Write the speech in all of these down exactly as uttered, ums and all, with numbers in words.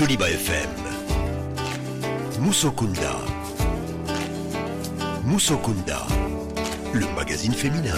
Joliba F M. Musokunda. Musokunda, le magazine féminin.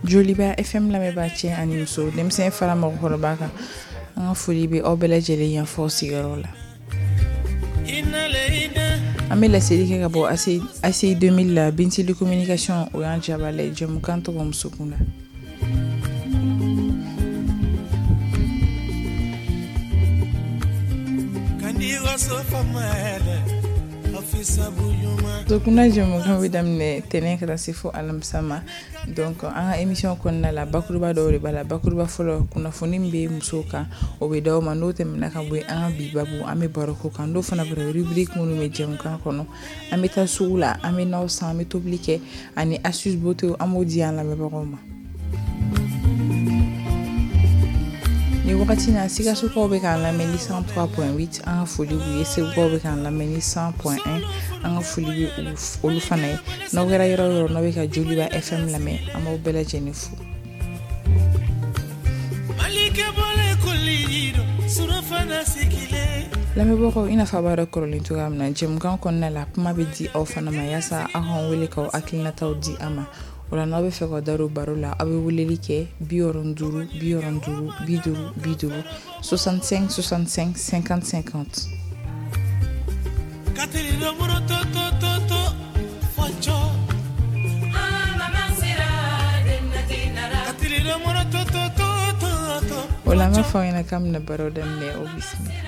Joliba F M lamɛnbaa cɛ ani muso, denmisɛn fara mɔgɔkɔrɔba kan, an ka foli bɛ aw bɛɛ lajɛlen yan fɔ sigiyɔrɔ la. An bɛ laseli kɛ ka bɔ A C I deux mille la, Bintili Communication, o y'an jabala ye, jɛmukan tɔgɔ Muso Kunda. Musokunda jɛmukan bɛ daminɛ tɛnɛn ka taa se fo alamisa ma. Donc an ka émission kɔnɔna la, bakuruba dɔw de b'a la. Bakuruba fɔlɔ, kunnafoni min bɛ musow kan, o bɛ d'aw ma. N'o tɛmɛna ka bɔ yen, an ka bi babu, an bɛ baro k'o kan. N'o fana bɔra, rubrique minnu bɛ jɛmukan kɔnɔ, an bɛ taa sugu la, an bɛ n'aw san, an bɛ tobili kɛ, ani astuce beauté, an b'o di an lamɛnbagaw ma. Ni wagati na, Sikasokaw bɛ k'an lamɛn ni cent trois point huit, an ka foli b'u ye. Segukaw bɛ k'an lamɛn ni cent point un, an ka foli bɛ olu fana ye. N'aw kɛra yɔrɔ o yɔrɔ, n'aw bɛ ka Joliba F M lamɛn, an b'aw bɛɛ lajɛlen fo. Lamɛnbagaw, i n'a fɔ a b'a dɔn kɔrɔlen cogoya min na, jɛmukan kɔnɔna la, kuma bɛ di aw fana ma yaasa aw k'an wele k'aw hakilinataw di an ma. O la, n'aw bɛ fɛ ka da don baro la, aw bɛ weleli kɛ bi wɔɔrɔ duuru bi wɔɔrɔ duuru bi duuru bi duuru, soixante-cinq soixante-cinq cinquante cinquante. O la, an b'a fɔ aw ɲɛna k'an bɛna baro daminɛ, o bisimila.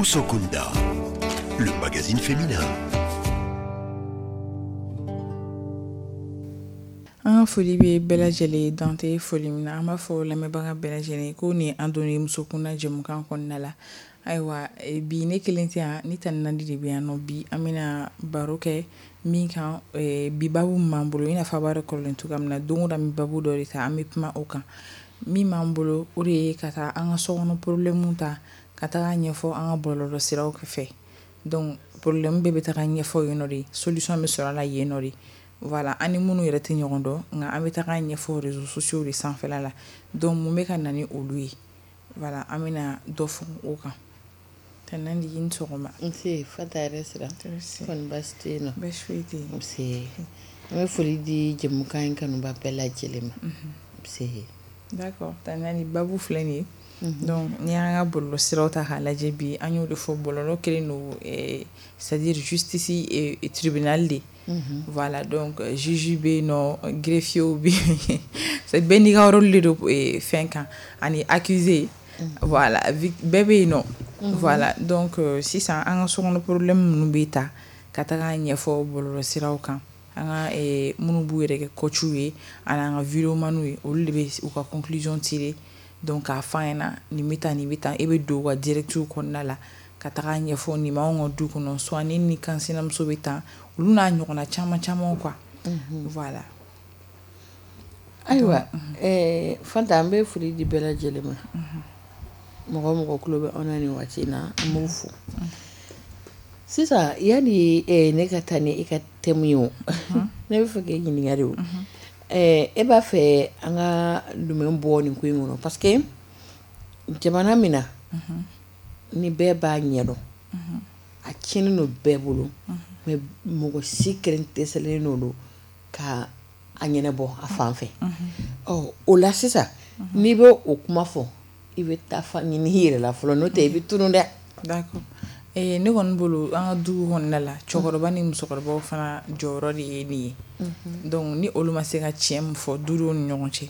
Musokunda, le magazine féminin. An ka foli bɛ bɛɛ lajɛlen dan tɛ foli min na, an b'a fɔ lamɛnbaga bɛɛ lajɛlen ko nin an donna Musokunda jɛmukan kɔnɔna la. Ayiwa, bi ne kelen tɛ yan, ni Tani Nadi de bɛ yan nɔ. Bi an bɛna baro kɛ min kan, bi babu min b'an bolo, i n'a fɔ a b'a dɔn kɔrɔlen cogoya min na, don o don an bɛ babu dɔ de ta, an bɛ kuma o kan. Min b'an bolo, o de ye ka taa an ka sokɔnɔ problème ta ka taga ɲɛfɔ an ka bɔlɔlɔ siraw fɛ. Donc problème bɛɛ bɛ taga ɲɛfɔ yen nɔ de, solution bɛ sɔrɔ a la yen nɔ de. Voilà, an ni minnu yɛrɛ tɛ ɲɔgɔn dɔn, nka an bɛ taga ɲɛfɔ réseaux sociaux de sanfɛla la. Donc mun bɛ ka na ni olu ye? Voilà, an bɛna dɔ fɔ o kan. Tani Nadi, i ni sɔgɔma. Nse, Fanta yɛrɛ sira. Kɔni baasi tɛ yen nɔ? Baasi foyi tɛ yen. Nse, an bɛ foli di jɛmukan in kanuba bɛɛ lajɛlen ma. Nse. D'accord, Tani Nadi, babu filɛ nin ye. Donc n'i y'an ka bɔlɔlɔ siraw ta k'a lajɛ bi, an y'o de fɔ, bɔlɔlɔ kɛlen don, c'est à dire justice et tribunal de. Voilà, donc juge bɛ yen nɔ, greffier bɛ yen, bɛɛ n'i ka rôle de don fɛn kan, ani accusé. Voilà, bɛɛ bɛ yen nɔ. Voilà, donc sisan an ka sokɔnɔ problème minnu bɛ ta ka taga ɲɛfɔ bɔlɔlɔ siraw kan, an ka minnu b'u yɛrɛ kɛ coach ye ani an ka videomanw ye, olu de bɛ u ka conclusion tirer. Donc k'a fɔ an ɲɛna nin bɛ tan, nin bɛ tan, e bɛ don u ka directive kɔnɔna la ka taga ɲɛfɔ nin b'anw ka du kɔnɔ, soit ni ni kansinamuso bɛ tan, olu n'a ɲɔgɔnna caman caman quoi. Voilà. Ayiwa, ɛɛ Fanta, an bɛ foli di bɛɛ lajɛlen ma. Mɔgɔ mɔgɔ tulo bɛ anw na nin waati in na, an b'u fo. Sisan yanni ne ka taa ni e ka thème ye o, ne bɛ fɛ k'e ɲininka de o. E b'a fɛ an ka jumɛn bɔ nin ko in kɔnɔ? Parce que jamana min na, ni bɛɛ b'a ɲɛdɔn, a tiɲɛnen don bɛɛ bolo, mais mɔgɔ si kelen dɛsɛlen don ka a ɲɛnabɔ a fan fɛ. Ɔ o la sisan, n'i bɛ o kuma fɔ, i bɛ taa fa ɲini i yɛrɛ la fɔlɔ, n'o tɛ i bɛ tunun dɛ. D'accord. Eh, ne kɔni bolo, an ka du kɔnɔna la, cɛkɔrɔba ni musokɔrɔbaw fana jɔyɔrɔ de ye nin ye. Donc ni olu ma se ka tiɲɛ min fɔ dudenw ni ɲɔgɔn cɛ,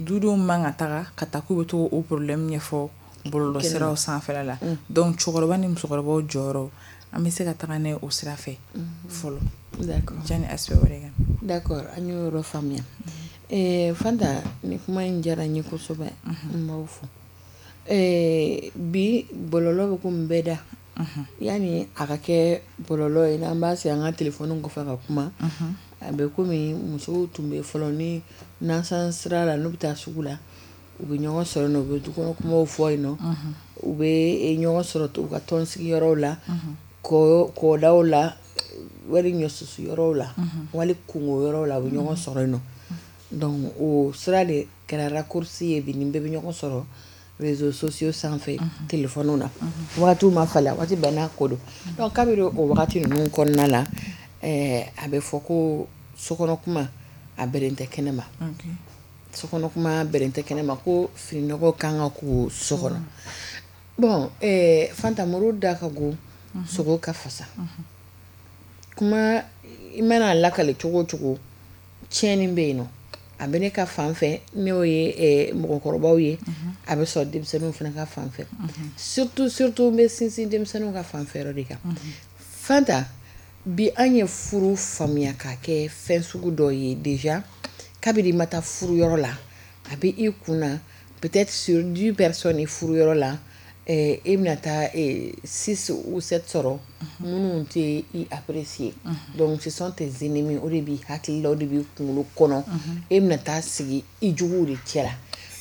dudenw man ka taga ka taa k'u bɛ to o problème ɲɛfɔ bɔlɔlɔ siraw sanfɛla la. Donc cɛkɔrɔba ni musokɔrɔbaw jɔyɔrɔ, an bɛ se ka taga n'a ye o sira fɛ fɔlɔ. D'accord. Janni aspect wɛrɛ kan. D'accord, an y'o yɔrɔ faamuya. Eh, Fanta, nin kuma in diyara n ye kosɛbɛ, n b'aw fo. Eh, bi bɔlɔlɔ bɛ komi bɛɛ da. Yanni a ka kɛ bɔlɔlɔ ye, n'an b'a sigi an ka telefɔni kɔfɛ ka kuma, a bɛ komi musow tun bɛ fɔlɔ ni nasan sira la, n'u bɛ taa sugu la, u bɛ ɲɔgɔn sɔrɔ yen nɔ, u bɛ dukɔnɔ kumaw fɔ yen nɔ, u bɛ ɲɔgɔn sɔrɔ u ka tɔn sigiyɔrɔw la, kɔdaw la, wali ɲɔsusu yɔrɔw la, wali kungo yɔrɔw la, u bɛ ɲɔgɔn sɔrɔ yen nɔ. Donc o sira de kɛra raccourci ye bi, ni bɛɛ bɛ ɲɔgɔn sɔrɔ réseaux sociaux sanfɛ, téléphone na. Wagatiw ma falen, waati bɛɛ n'a ko don. Donc kabini o wagati ninnu kɔnɔna la, ɛɛ a bɛ fɔ ko sokɔnɔ kuma a bɛrɛ tɛ kɛnɛ ma. Sokɔnɔ kuma bɛrɛ tɛ kɛnɛ ma, ko fininɔgɔ kan ka ko so kɔnɔ. Bon, ɛɛ Fanta, muru da ka go, sogo ka fasa. Kuma i mana lakale cogo o cogo, tiɲɛni bɛ yen nɔ. A bɛ ne ka fan fɛ, n'o ye mɔgɔkɔrɔbaw ye, a bɛ sɔrɔ denmisɛnninw fana ka fan fɛ. Surtout surtout n bɛ sinsin denmisɛnninw ka fan fɛ yɔrɔ de kan. Fanta, bi an ye furu faamuya k'a kɛ fɛn sugu dɔ ye déjà, kabini i ma taa furu yɔrɔ la, a bɛ i kun na, peut-être sur dix personnes furu yɔrɔ la, e bɛna taa six ou sept sɔrɔ minnu tɛ i apprécier. Donc ce sont tes ennemis, o de b'i hakili la, o de b'i kunkolo kɔnɔ, e bɛna taa sigi i juguw de cɛ la.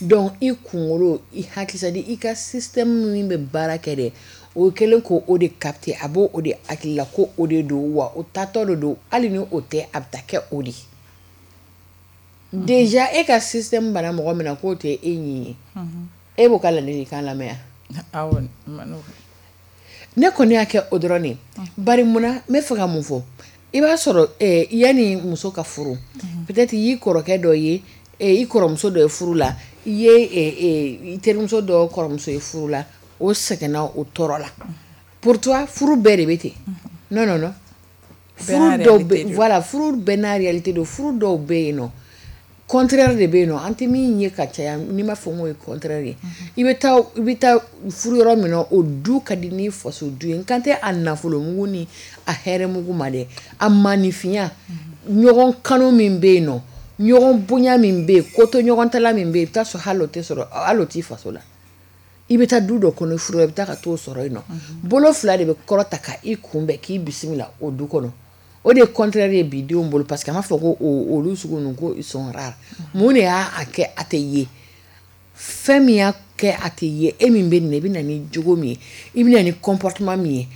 Donc i kunkolo, i hakili, c'est à dire i ka système min bɛ baara kɛ dɛ, o kɛlen k'o de capter, a b'o o de hakili la ko o de don, wa o taatɔ de don, hali ni o tɛ, a bɛ taa kɛ o de. Déjà e ka système bana mɔgɔ min na k'o tɛ e ɲin ye, e b'o ka ladilikan lamɛn wa? Awɔ. Ne kɔni y'a kɛ o dɔrɔn de. Bari munna, n bɛ fɛ ka mun fɔ, i b'a sɔrɔ yanni muso ka furu, peut-être i y'i kɔrɔkɛ dɔ ye, i kɔrɔmuso dɔ ye furu la, i ye i terimuso dɔ kɔrɔmuso ye furu la, o sɛgɛnna o tɔɔrɔ la. Pour toi, furu bɛɛ de bɛ ten. Non non non. Furu dɔw bɛ, voilà, furu bɛɛ n'a réalité don. Furu dɔw bɛ yen nɔ, Contraire de bɛ yen nɔ, an tɛ min ye ka caya, n'i ma fɔ n k'o ye contraire ye. I bɛ taa i bɛ taa furu yɔrɔ min na, o du ka di ni faso du ye. N kan tɛ a nafolomugu ni a hɛrɛmugu ma dɛ, a maanifinya, ɲɔgɔn kanu min bɛ yen nɔ, ɲɔgɔn bonya min bɛ yen, koto ɲɔgɔntala min bɛ yen, i bɛ taa sɔrɔ hali o tɛ sɔrɔ, hali o t'i faso la. I bɛ taa du dɔ kɔnɔ furu, i bɛ taa ka t'o sɔrɔ yen nɔ. Bolo fila de bɛ kɔrɔta ka i kunbɛn k'i bisimila o du kɔnɔ. O de ye contraire ye bi denw bolo, parce que an b'a fɔ ko olu sugu ninnu ko ils sont rares. Mun de y'a kɛ a tɛ ye? Fɛn min y'a kɛ a tɛ ye, e min bɛ nin na, i bɛ na ni jogo min ye, i bɛ na ni comportement min ye,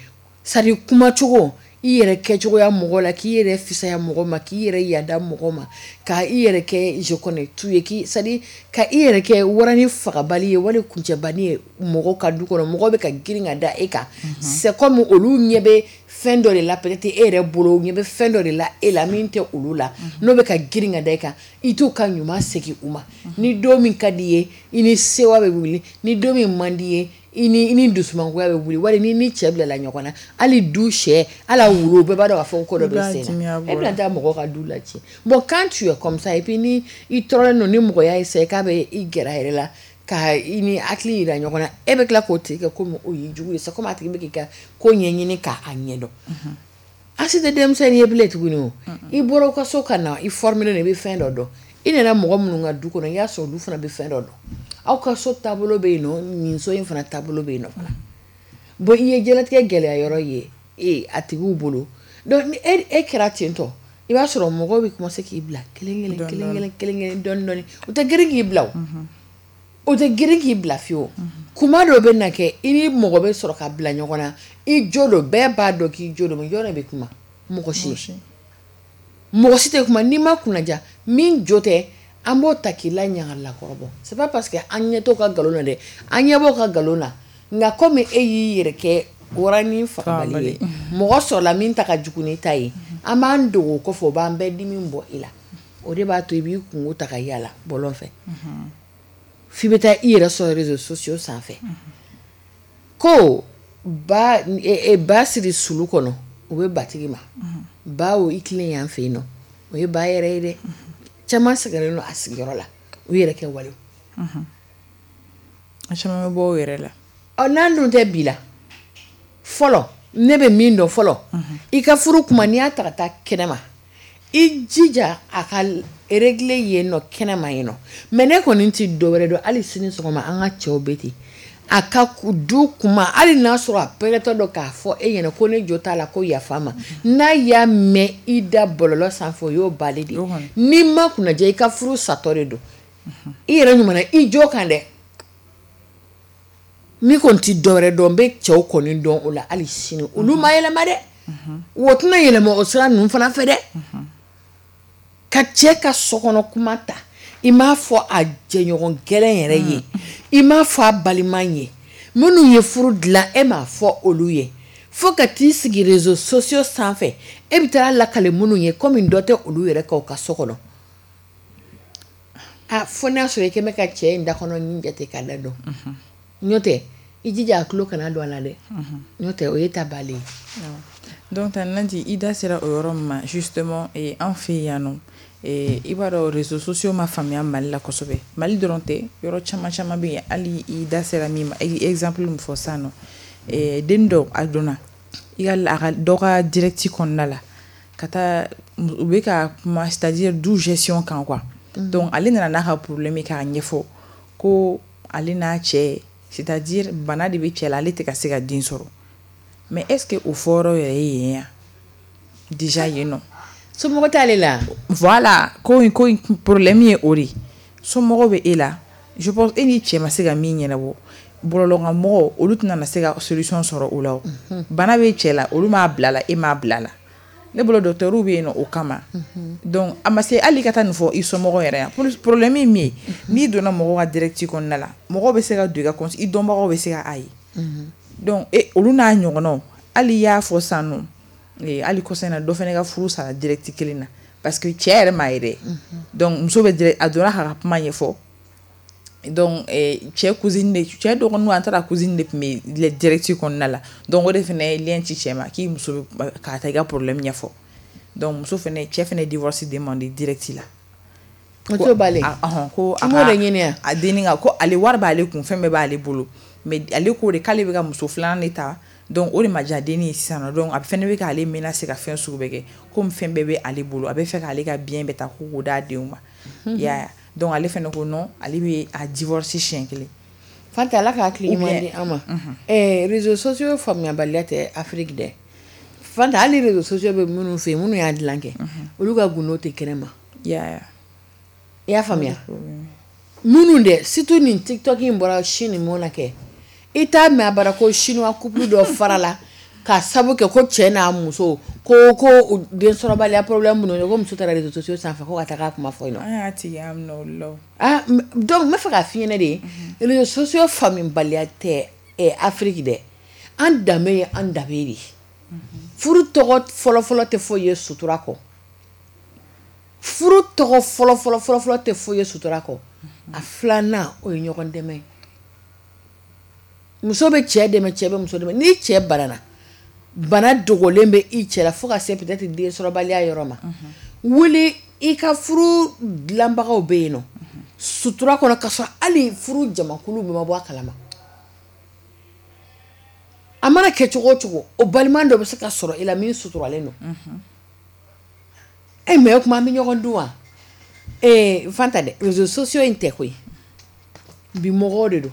c'est à dire kumacogo, i yɛrɛ kɛcogoya mɔgɔ la, k'i yɛrɛ fisaya mɔgɔ ma, k'i yɛrɛ yada mɔgɔ ma, ka i yɛrɛ kɛ je connais tout ye, k'i c'est à dire ka i yɛrɛ kɛ warani fagabali ye wali kuncɛbani ye mɔgɔ ka du kɔnɔ, mɔgɔ bɛ ka girin ka da e kan. C'est comme olu ɲɛ bɛ fɛn dɔ de la, peut-être e yɛrɛ bolo ɲɛ bɛ fɛn dɔ de la e la min tɛ olu la, n'o bɛ ka girin ka da e kan, i t'o ka ɲuman segin u ma. Ni don min ka di ye, i ni sewa bɛ wuli, ni don min man di ye, i ni i ni dusumangoya bɛ wuli, wali ni ni cɛ bilala ɲɔgɔn na, hali du sɛ, hali a wulu, bɛɛ b'a dɔn k'a fɔ ko dɔ bɛ sen na, e bɛna taa mɔgɔw ka du la tiɲɛ. Bon, quand tu es comme ça, et puis ni i tɔɔrɔlen don, ni mɔgɔ y'a essayer k'a bɛ i gɛrɛ a yɛrɛ la, ka i ni hakili yira ɲɔgɔn na, e bɛ tila k'o tigi kɛ komi o y'i jugu ye. C'est comme a tigi bɛ k'i ka ko ɲɛɲini k'a ɲɛdɔn. An si tɛ denmisɛnnin ye bilen tuguni o. I bɔra ka so ka na, i formé don, i bɛ fɛn dɔ dɔn. I nana mɔgɔ minnu ka du kɔnɔ, i y'a sɔrɔ olu fana bɛ fɛn dɔ dɔn. Aw ka so taabolo bɛ yen nɔ, nin so in fana taabolo bɛ yen nɔ fana. Bon, i ye diɲɛlatigɛ gɛlɛya yɔrɔ ye e a tigiw bolo. Donc ni e e kɛra ten tɔ, i b'a sɔrɔ mɔgɔw bɛ commencer k'i bila kelen kelen kelen kelen kelen kelen dɔɔni dɔɔni. U tɛ girin k'i bila o. O tɛ girin k'i bila fiyewu. Kuma dɔ bɛ na kɛ, i ni mɔgɔ bɛ sɔrɔ ka bila ɲɔgɔn na, i jo don, bɛɛ b'a dɔn k'i jo don, mais jɔn de bɛ kuma? Mɔgɔ si. Mɔgɔ si tɛ kuma. N'i ma kunnaja, min jo tɛ, an b'o ta k'i la ɲagalakɔrɔbɔ. C'est pas parce que an ɲɛ t'o ka nkalon na dɛ, an ɲɛ b'o ka nkalon na, nka komi e y'i yɛrɛ kɛ waranin fagabali ye, mɔgɔ sɔrɔla min ta ka jugu n'i ta ye, an b'an dogo o kɔfɛ, o b'an bɛɛ dimi bɔ i la. O de b'a to i b'i kungo ta ka yala bɔlɔn fɛ, f'i bɛ taa i yɛrɛ sɔrɔ réseaux sociaux sanfɛ. Ko ba ba siri sulu kɔnɔ, o bɛ batigi ma. Ba o i tilen yan fɛ yen nɔ, o ye ba yɛrɛ ye dɛ. Caman sɛgɛnnen don a sigiyɔrɔ la, u yɛrɛ kɛ walew. A caman bɛ bɔ o yɛrɛ la. Ɔ, n'an dun tɛ bi la, fɔlɔ ne bɛ min dɔn fɔlɔ, i ka furu kuma, n'i y'a ta ka taa kɛnɛma, i jija a ka régler yen nɔ, kɛnɛma yen nɔ. Mais ne kɔni tɛ dɔ wɛrɛ dɔn, hali sini sɔgɔma an ka cɛw bɛ ten. A ka du kuma, hali n'a sɔrɔ a pɛrɛtɔ dɔ k'a fɔ e ɲɛna ko ne jo t'a la, ko yafa ma, n'a y'a mɛn i da bɔlɔlɔ sanfɛ, o y'o bali de. N'i ma kunnaja, i ka furu satɔ de don. I yɛrɛ ɲuman na, i jo kan dɛ. Ni kɔni tɛ dɔ wɛrɛ dɔn, n bɛ cɛw kɔni dɔn o la hali sini, olu ma yɛlɛma dɛ. O tɛna yɛlɛma o sira ninnu fana fɛ dɛ. Ka cɛ ka sokɔnɔ kuma ta, i m'a fɔ a jɛɲɔgɔn gɛlɛn yɛrɛ ye, i m'a fɔ a balima ye, minnu ye furu dilan, e m'a fɔ olu ye, fo ka t'i sigi réseaux sociaux sanfɛ, e bɛ taa lakale minnu ye, komi dɔ tɛ olu yɛrɛ kan u ka so kɔnɔ. A fo n'a sɔrɔ i kɛn bɛ ka cɛ in da kɔnɔ ɲin jate k'a da dɔn, n'o tɛ i jija a tulo kana don a la dɛ, n'o tɛ o ye ta balen ye. Donc Nandi, i da sera o yɔrɔ min ma, justement an fɛ yan nɔ, i b'a dɔn réseaux sociaux ma faamuya Mali la kosɛbɛ. Mali dɔrɔn tɛ, yɔrɔ caman caman bɛ yen. Hali i da sera min ma, i exemple min fɔ sisan nɔ, den dɔ a donna i ka a ka dɔ ka direct kɔnɔna la ka taa, u bɛ ka kuma, c'est à dire du gestion kan quoi. Donc ale nana n'a ka problème ye k'a ɲɛfɔ ko ale n'a cɛ, c'est à dire bana de bɛ cɛ la, ale tɛ ka se ka den sɔrɔ. Mais est-ce que o fɔyɔrɔ yɛrɛ ye yen ya déjà yen nɔ? Somɔgɔ t'ale la. Voilà, ko in ko in problème ye o de ye. Somɔgɔw bɛ e la, je pense e ni cɛ ma se ka min ɲɛnabɔ, bɔlɔlɔkanmɔgɔw olu tɛna na se ka solution sɔrɔ o la o. Bana bɛ cɛ la, olu m'a bila la, e m'a bila la. Ne bolo docteur bɛ yen nɔ o kama. Donc a ma se hali ka taa nin fɔ i somɔgɔw yɛrɛ yan. Problème ye min ye, n'i donna mɔgɔw ka direct kɔnɔna la, mɔgɔw bɛ se ka don i ka compte, i dɔnbagaw bɛ se ka a ye. Donc e olu n'a ɲɔgɔnnaw, hali i y'a fɔ sisan nɔ, hali kɔsa in na dɔ fana ka furu sara direct kelen na, parce que cɛ yɛrɛ m'a ye dɛ. Donc muso bɛ a donna k'a ka kuma ɲɛfɔ. Donc cɛ cousine de, cɛ dɔgɔninw, an taara cousine de tun bɛ direct kɔnɔna la. Donc o de fana ye lien ci cɛ ma k'i muso bɛ k'a ta i ka problème ɲɛfɔ. Donc muso fana, cɛ fana divorce demandé direct la. Ko b'ale ko a m'o de ɲini a dennin kan ko ale wari b'ale kun, fɛn bɛɛ b'ale bolo, mais ale ko de k'ale bɛ ka muso filanan de ta, donc o de ma diya dennin ye sisan nɔ, donc a fɛnɛ bɛ k'ale menacer ka fɛn sugu bɛɛ kɛ, komi fɛn bɛɛ bɛ ale bolo, a bɛ fɛ k'ale ka bien bɛɛ ta ko k'o d'a denw ma. I y'a ye, donc ale fɛnɛ ko non, ale bɛ a divorce siɲɛ kelen. Fanta, Ala ka hakili ɲuman di an ma. Ɛɛ réseaux sociaux faamuyabaliya tɛ Afrique dɛ. Fanta, hali réseaux sociaux bɛ minnu fɛ yen, minnu y'a dilan kɛ, olu ka gundo tɛ kɛnɛ ma. I y'a ye. I y'a faamuya, minnu dɛ, surtout nin TikTok in bɔra Chine mun na kɛ, i t'a mɛn a bara ko chinois couple dɔ farala ka sabu kɛ ko cɛ n'a muso ko ko densɔrɔbaliya problème minnu ye, ko muso taara réseaux sociaux sanfɛ ko ka taga kuma fɔ yen nɔ. An y'a tigi an minɛ olu la. Ah, donc n bɛ fɛ k'a f'i ɲɛna de, réseaux sociaux faamubaliya tɛ Afrique dɛ. An danbe ye an danbe de ye. Furu tɔgɔ fɔlɔfɔlɔ tɛ foyi ye sutura kɔ. Furu tɔgɔ fɔlɔfɔlɔ fɔlɔfɔlɔ tɛ foyi ye sutura kɔ. A filanan, o ye ɲɔgɔn dɛmɛ ye. Muso bɛ cɛ dɛmɛ, cɛ bɛ muso dɛmɛ. Ni cɛ banana, bana dogolen bɛ i cɛ la fo ka se peut-être densɔrɔbaliya yɔrɔ ma, wuli i ka furu dilanbagaw bɛ yen nɔ sutura kɔnɔ, ka sɔrɔ hali furu jamakulu bɛɛ ma bɔ a kalama. A mana kɛ cogo o cogo, o balima dɔ bɛ se ka sɔrɔ i la min suturalen don. E mais o tuma an bɛ ɲɔgɔn dun wa? Ee Fanta dɛ, réseaux sociaux in tɛ koyi, bi mɔgɔw de don,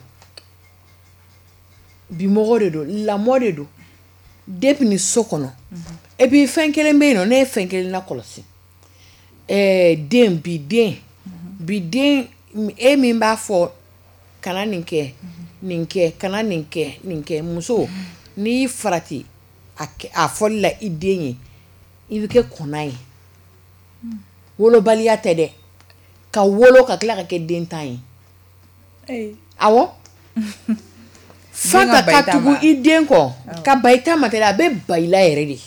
bi mɔgɔw de don, lamɔ de don depuis ni so kɔnɔ. Et puis fɛn kelen bɛ yen nɔ, ne ye fɛn kelen lakɔlɔsi. Ɛɛ den bi den bi den e min b'a fɔ kana nin kɛ, nin kɛ, kana nin kɛ, nin kɛ, muso n'i y'i farati a a fɔli la i den ye, i bɛ kɛ kɔnna ye. Wolobaliya tɛ dɛ, ka wolo ka tila ka kɛ den tan ye. Awɔ. Fanta, ka tugu i den kɔ, ka ba i ta ma tɛ dɛ, a bɛ ba i la yɛrɛ de.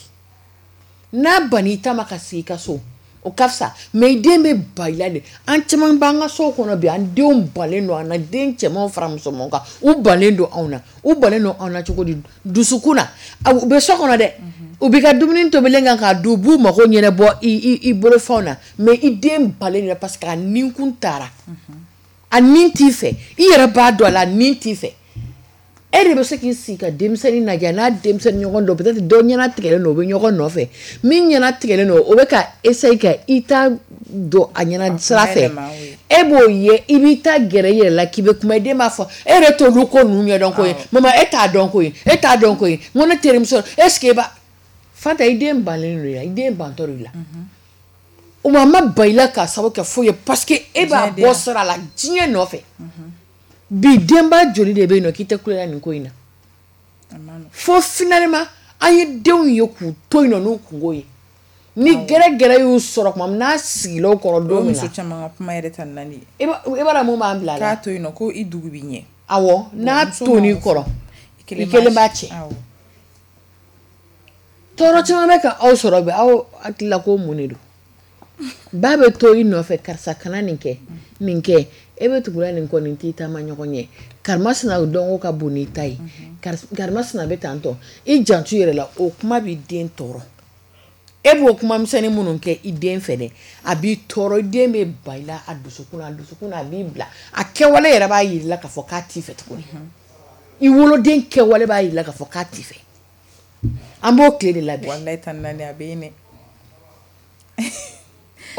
N'a banna i ta ma ka sigi i ka so, o ka fisa, mais i den bɛ ba i la de. An caman b'an ka so kɔnɔ bi, an denw balen don an na, den cɛmanw fara musomanw kan, u balen don anw na. U balen don anw na cogo di? Dusukun na, u bɛ so kɔnɔ dɛ, u b'i ka dumuni tobilen kan k'a dun, u b'u mago ɲɛnabɔ i i bolofɛnw na, mais i den balen don parce que a ninkun taara, a nin t'i fɛ, i yɛrɛ b'a dɔn a la, a nin t'i fɛ. E de bɛ se k'i sigi ka denmisɛnnin lajɛ n'a denmisɛnnin ɲɔgɔn dɔ, peut-être dɔ ɲɛna tigɛlen don, o bɛ ɲɔgɔn nɔfɛ, min ɲɛna tigɛlen don, o bɛ ka essayer ka i ta don a ɲɛna sira fɛ, e b'o ye, i b'i ta gɛrɛ i yɛrɛ la k'i bɛ kuma, i den b'a fɔ e yɛrɛ t'olu ko ninnu ɲɛdɔn ko ye, mama e t'a dɔn ko ye, e t'a dɔn ko ye, n ko ne terimuso est ce que e b'a. Fanta, i den bannen don i la, i den bantɔ don i la. O ma ma ba i la k'a sababu kɛ foyi ye, parce que e b'a bɔ sira la diɲɛ nɔfɛ. Bi denba joli de bɛ yen nɔ k'i tɛ kulonkɛ nin ko in na? Fo finalement an ye denw ye k'u to yen nɔ n'u kungo ye. Ni gɛrɛgɛrɛ y'u sɔrɔ tuma min n'a sigila o kɔrɔ don min na. O muso caman ka kuma yɛrɛ ta naani. I b'a dɔn mun b'an bila la? K'a to yen nɔ ko i dugu b'i ɲɛ. Awɔ, n'a tonn'i kɔrɔ, i kelen b'a cɛ. Tɔɔrɔ caman bɛ ka aw sɔrɔ bi, aw hakili la ko mun de don? Ba bɛ to i nɔfɛ, karisa kana nin kɛ, nin kɛ, e bɛ tugu nin kɔ, nin t'i taama ɲɔgɔn ɲɛ. Karimasina dɔnko ka bon n'i ta ye, karimasina bɛ tan tɔ, i janto i yɛrɛ la, o kuma b'i den tɔɔrɔ. E b'o kuma misɛnnin minnu kɛ i den fɛ dɛ, a b'i tɔɔrɔ, i den bɛ ba i la a dusukun na, a dusukun na a b'i bila, a kɛwale yɛrɛ b'a yir'i la k'a fɔ k'a t'i fɛ tuguni. I woloden kɛwale b'a yir'i la k'a fɔ k'a t'i fɛ. An b'o tile de la bi. Walayi tan naani a bɛ yen dɛ.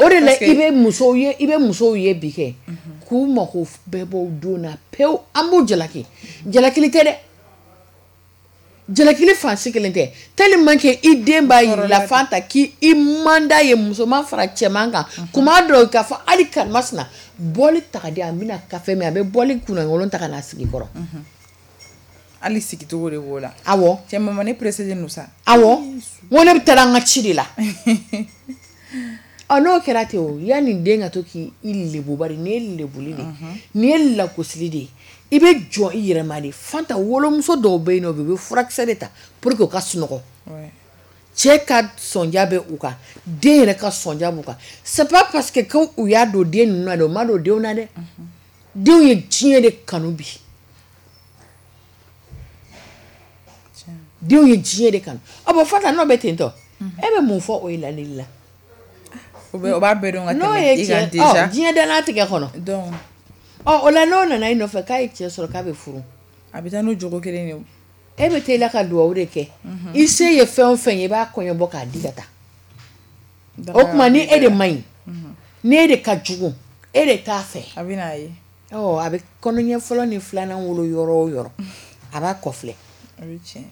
O de la i bɛ musow ye, i bɛ musow ye bi kɛ k'u mako bɛɛ bɔ don na pewu, an b'u jalaki. Jalakili tɛ dɛ, jalakili fan si kelen tɛ, tellement que i den b'a yir'i la Fanta k'i i man d'a ye, musoman fara cɛman kan, kuma dɔw k'a fɔ hali karimasina bɔli ta ka di, a bɛna kafe min, a bɛ bɔli kunnakolon ta ka n'a sigi kɔrɔ. Hali sigicogo de b'o la. Awɔ. Cɛ mama ne pressé don sa. Awɔ, n ko ne bɛ taa an ka ci de la. Ɔ n'o kɛra ten o, yanni den ka to k'i lebu, bari nin ye lebuli de ye, nin ye lagosili de ye, i bɛ jɔ i yɛrɛ ma de. Fanta, wolomuso dɔw bɛ yen nɔ, u bɛ furakisɛ de ta pour que u ka sunɔgɔ. Cɛ ka sɔnja bɛ u kan, den yɛrɛ ka sɔnja b'u kan. C'est pas parce que ko u y'a don den ninnu na dɛ, u ma don denw na dɛ. Denw ye diɲɛ de kanu bi. Denw ye diɲɛ de kanu. Ɔ bon Fanta, n'o bɛ ten tɔ, e bɛ mun fɔ o ye lalili la? O b'a bɛɛ dɔn ka tɛmɛ i kan déjà. Diɲɛ dannatigɛ kɔnɔ. Donc ɔ o la n'o nana i nɔfɛ k'a ye cɛ sɔrɔ k'a bɛ furu. A bɛ taa n'o jogo kelen de ye. E bɛ taa i la ka duwawu de kɛ. I se ye fɛn o fɛn ye i b'a kɔɲɔbɔ k'a di ka taa. O tuma ni e de man ɲi. Ni e de ka jugu e de t'a fɛ. A bɛ n'a ye. Ɔ a bɛ kɔnɔɲɛ fɔlɔ ni filanan wolo yɔrɔ o yɔrɔ a b'a kɔfilɛ. A bɛ tiɲɛ.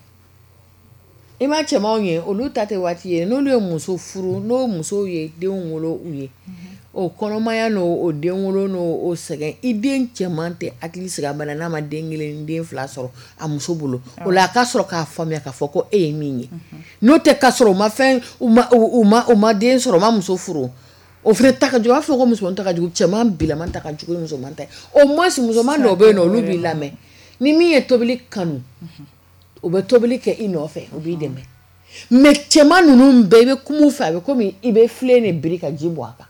I ma cɛmanw ye olu ta tɛ waati ye n'olu ye muso furu n'o musow ye denw wolo u ye o kɔnɔmaya n'o o den wolo n'o o sɛgɛn i den cɛman tɛ hakili sigi a bana n'a ma den kelen den fila sɔrɔ a muso bolo o la a ka sɔrɔ k'a faamuya k'a fɔ ko e ye min ye n'o tɛ ka sɔrɔ u ma fɛn u ma u ma u ma den sɔrɔ u ma muso furu o fana ta ka jugu a b'a fɔ ko musoman ta ka jugu cɛman bilaman ta ka jugu ni musoman ta ye au moins musoman dɔw bɛ yen nɔ olu b'i lamɛn ni min ye tobili kanu u bɛ tobili kɛ i nɔfɛ u b'i dɛmɛ mais cɛman ninnu bɛɛ i bɛ kuma u fɛ a bɛ komi i bɛ filen de biri ka ji bɔn a kan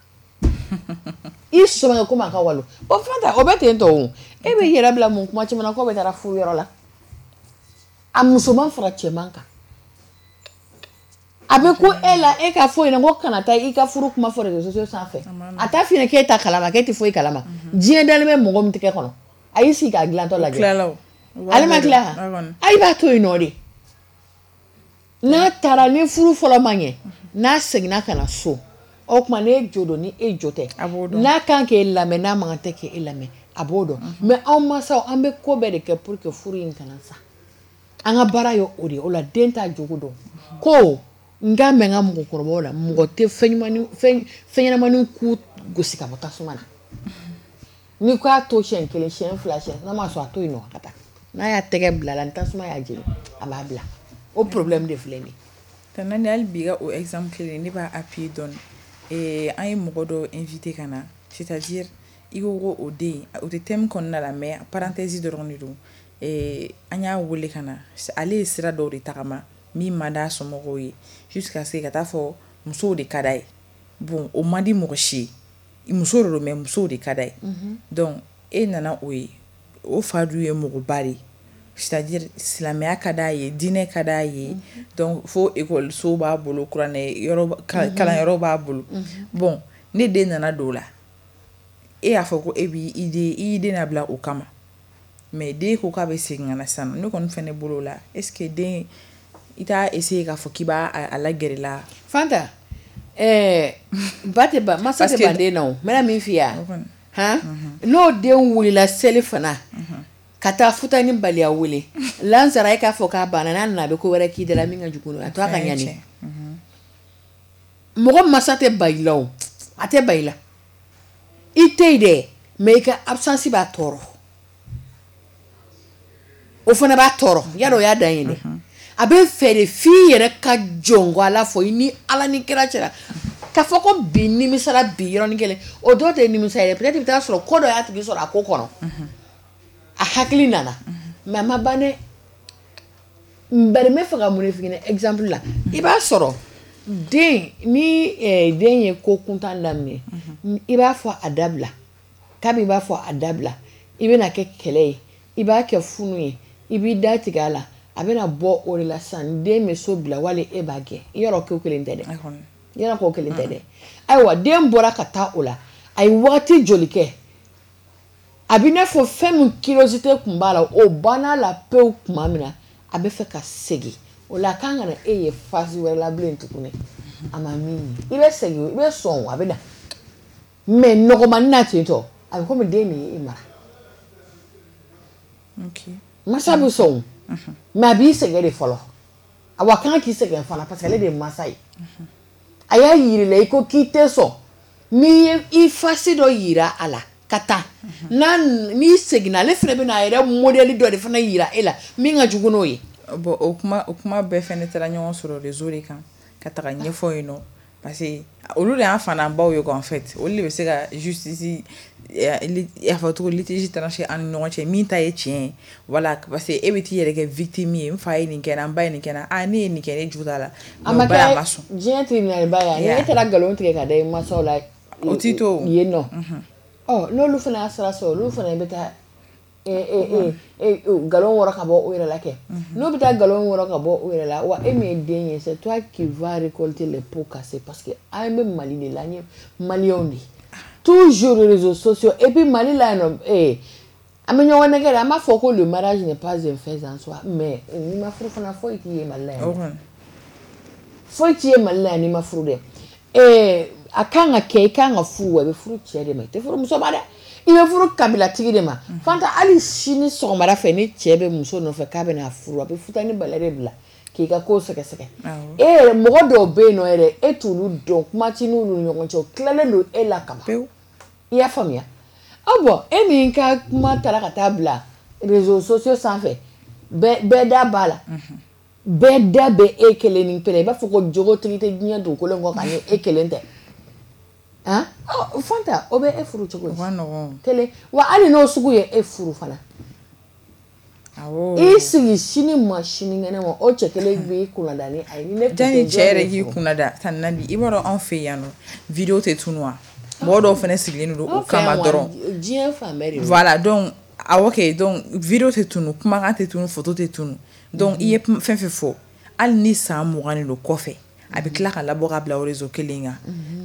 i sɔmɛ komi a ka walo o fɛn ta o bɛ ten tɔ o e bɛ yɛrɛ bila mun kuma caman na k'o bɛ taara furu yɔrɔ la a musoman fara cɛman kan a bɛ ko e la e ka fɔ ɲɛna ko kana taa i ka furu kuma fɔ réseaux sociaux sanfɛ a t'a f'i ɲɛna k'e ta kalama k'e tɛ foyi kalama diɲɛ dalen bɛ mɔgɔ min tɛgɛ kɔnɔ a y'i sigi k'a dilantɔ lajɛ ale ma tila a i b'a to yen nɔ de n'a taara ni furu fɔlɔ ma ɲɛ n'a seginna ka na so o tuma n'e jo don ni e jo tɛ n'a kan k'e lamɛn n'a man kan tɛ k'e lamɛn a b'o dɔn mais anw mansaw an bɛ ko bɛɛ de kɛ pour que furu in kana sa an ka baara ye o de ye o la den t'a jogo dɔn ko n k'a mɛn n ka mɔgɔkɔrɔbaw la mɔgɔ tɛ fɛn fɛn ɲɛnamanin ku gosi ka bɔ tasuma na n'i ko y'a to siɲɛ kelen siɲɛ fila siɲɛ n'a ma sɔn a to yen nɔ ka taa n'a y'a tɛgɛ bila la ni tasuma y'a jeni a b'a bila o problème de filɛ nin ye. Tante Nani hali bi ka o exemple kelen ne b'a appuyer dɔɔni ee an ye mɔgɔ dɔ invité ka na c'est-à-dire i ko ko o den o tɛ thème kɔnɔna la mais parenthèse dɔrɔn de don ee an y'a wele ka na ale ye sira dɔw de tagama min man d'a somɔgɔw ye jusqu'à ce que ka taa fɔ musow de ka d'a ye bon o man di mɔgɔ si ye muso de don mais musow de ka d'a ye donc e nana o ye o fa dun ye mɔgɔba de ye c'est-à-dire silamɛya ka d'a ye diinɛ ka d'a ye donc fo ekɔliso b'a bolo kuranɛ yɔrɔ kalanyɔrɔ b'a bolo bon ne den nana don o la e y'a fɔ ko e b'i i den i y'i den labila o kama mais den ko k'a bɛ segin ka na sisan ne kɔni fɛnɛ bolo o la est-ce que den i t'a essayer k'a fɔ k'i b'a a lagɛrɛ la Fanta ɛɛ ba tɛ ban masa tɛ ban den na o n bɛna min f'i ye han n'o den wulila seli fana ka taa futa ni baliya wele lansara e k'a fɔ k'a banna n'a nana a bɛ ko wɛrɛ k'i da la min ka jugu n'o ye a to a ka ɲani mɔgɔ masa tɛ ba i la o a tɛ ba i la i tɛ yen dɛ mais i ka absence b'a tɔɔrɔ o fana b'a tɔɔrɔ yarɔ o y'a dan ye dɛ a bɛ fɛ de f'i yɛrɛ ka jɔn ko ala fɔ i ni ala ni kira cɛla k'a fɔ ko bi nimisara bi yɔrɔnin kelen o dɔw tɛ nimisa yɛrɛ peut-être i bɛ taa sɔrɔ ko dɔ y'a tigi sɔrɔ a ko kɔnɔ a hakili nana mais a ma ban dɛ bari n bɛ fɛ ka mun de f'i ɲɛna exemple la i b'a sɔrɔ den ni den ye ko kuntan daminɛ i b'a fɔ a dabila kabi i b'a fɔ a dabila i bɛna kɛ kɛlɛ ye i b'a kɛ funu ye i b'i da tigɛ a la a bɛna bɔ o de la sisan den bɛ so bila wali e b'a gɛn yɔrɔ ko kelen tɛ dɛ yɔrɔ ko kelen tɛ dɛ ayiwa den bɔra ka taa o la a ye waati joli kɛ a bɛ n'a fɔ fɛn min curiosité tun b'a la o banna la pewu tuma min na a bɛ fɛ ka segin o la a kan ka na e ye phase wɛrɛ la bilen tuguni a ma min ye i bɛ segin i bɛ sɔn a bɛ na mais nɔgɔmani na ten tɔ a bɛ komi den de ye e mara masa bɛ sɔn mais a b'i sɛgɛn de fɔlɔ a kan k'i sɛgɛn fana parce que ale de ye masa ye a y'a yir'i la i ko k'i tɛ sɔn n'i ye i face dɔ yira a la ka taa n'a n'i seginna ale fana bɛna a yɛrɛ modèle dɔ de fana yira e la min ka jugu n'o ye. Bon o kuma o kuma bɛɛ fɛnɛ taara ɲɔgɔn sɔrɔ réseau de kan ka taga ɲɛfɔ yen nɔ parce que olu de y'an fananbaw ye quoi en fait olu de bɛ se ka justice a fɔ cogo litige trancher an ni ɲɔgɔn cɛ min ta ye tiɲɛ ye voilà parce que e bɛ t'i yɛrɛ kɛ victime ye n fa ye nin kɛ n na n ba ye nin kɛ n na ah ne ye nin kɛ ne jo t'a la a ma kɛ diɲɛ tribunal ba ye ni e taara nkalon tigɛ ka da i mansaw la o t'i to yen nɔ ɔ n'olu fana y'a sira sɔrɔ olu fana bɛ taa Nkalon wɔrɔ ka bɔ o yɛrɛ la kɛ. N'o bɛ taa nkalon wɔrɔ ka bɔ o yɛrɛ la, wa e min ye den ye, c'est toi qui vas récolter les pots cassés, parce que an bɛ Mali de la, an ye maliyɛnw de ye. Toujours les réseaux sociaux, et puis Mali la yen nɔ, eh, an bɛ ɲɔgɔn nɛgɛ de, an b'a fɔ ko le mariage n'est pas un fait en soi, mais n'i ma furu fana, foyi t'i ye Mali la yan. Foyi t'i ye Mali la yan n'i ma furu dɛ. Eh, a kan ka kɛ, i kan ka furu, wa i bɛ furu cɛ de ma, i tɛ furu muso ma dɛ. I bɛ furu kabilatigi de ma. Fanta, hali sini sɔgɔmada fɛ, ni cɛ bɛ muso nɔfɛ k'a bɛna furu, a bɛ futani bala de bila k'i ka ko sɛgɛsɛgɛ. E yɛrɛ, mɔgɔ dɔw bɛ yen nɔ yɛrɛ, e t'olu dɔn, kuma t'i n'olu ni ɲɔgɔn cɛ, o tilalen don e la kaban. I y'a faamuya? Ɔ bɔn, e min ka kuma taara ka taa bila réseaux sociaux sanfɛ, bɛɛ bɛɛ da b'a la, bɛɛ da bɛ e kelen ni kelen, i b'a fɔ ko jogotigi tɛ diɲɛ dugukolo in kɔ kan ni e kelen tɛ. Han, Fanta, o bɛ e furu cogo di? Kelen wa, hali n'o sugu ye e furu fana, i sigi sini ma sinikɛnɛ ma, o cɛ kelen b'i kunnada ni a ye. Ni ne Janni cɛ yɛrɛ k'i kunnada tan Nabi, i b'a dɔn anw fɛ yan nɔ, vidéo tɛ tunu wa? Mɔgɔ dɔw fana sigilen don o kama dɔrɔn. Diɲɛ fan bɛɛ de. Voilà, donc awɔ kɛ, donc vidéo tɛ tunu, kumakan tɛ tunu, photo tɛ tunu. Donc i ye fɛn fɛn fɔ, hali ni san mugan de don kɔfɛ, a bɛ tila ka labɔ ka bila o réseau kelen kan.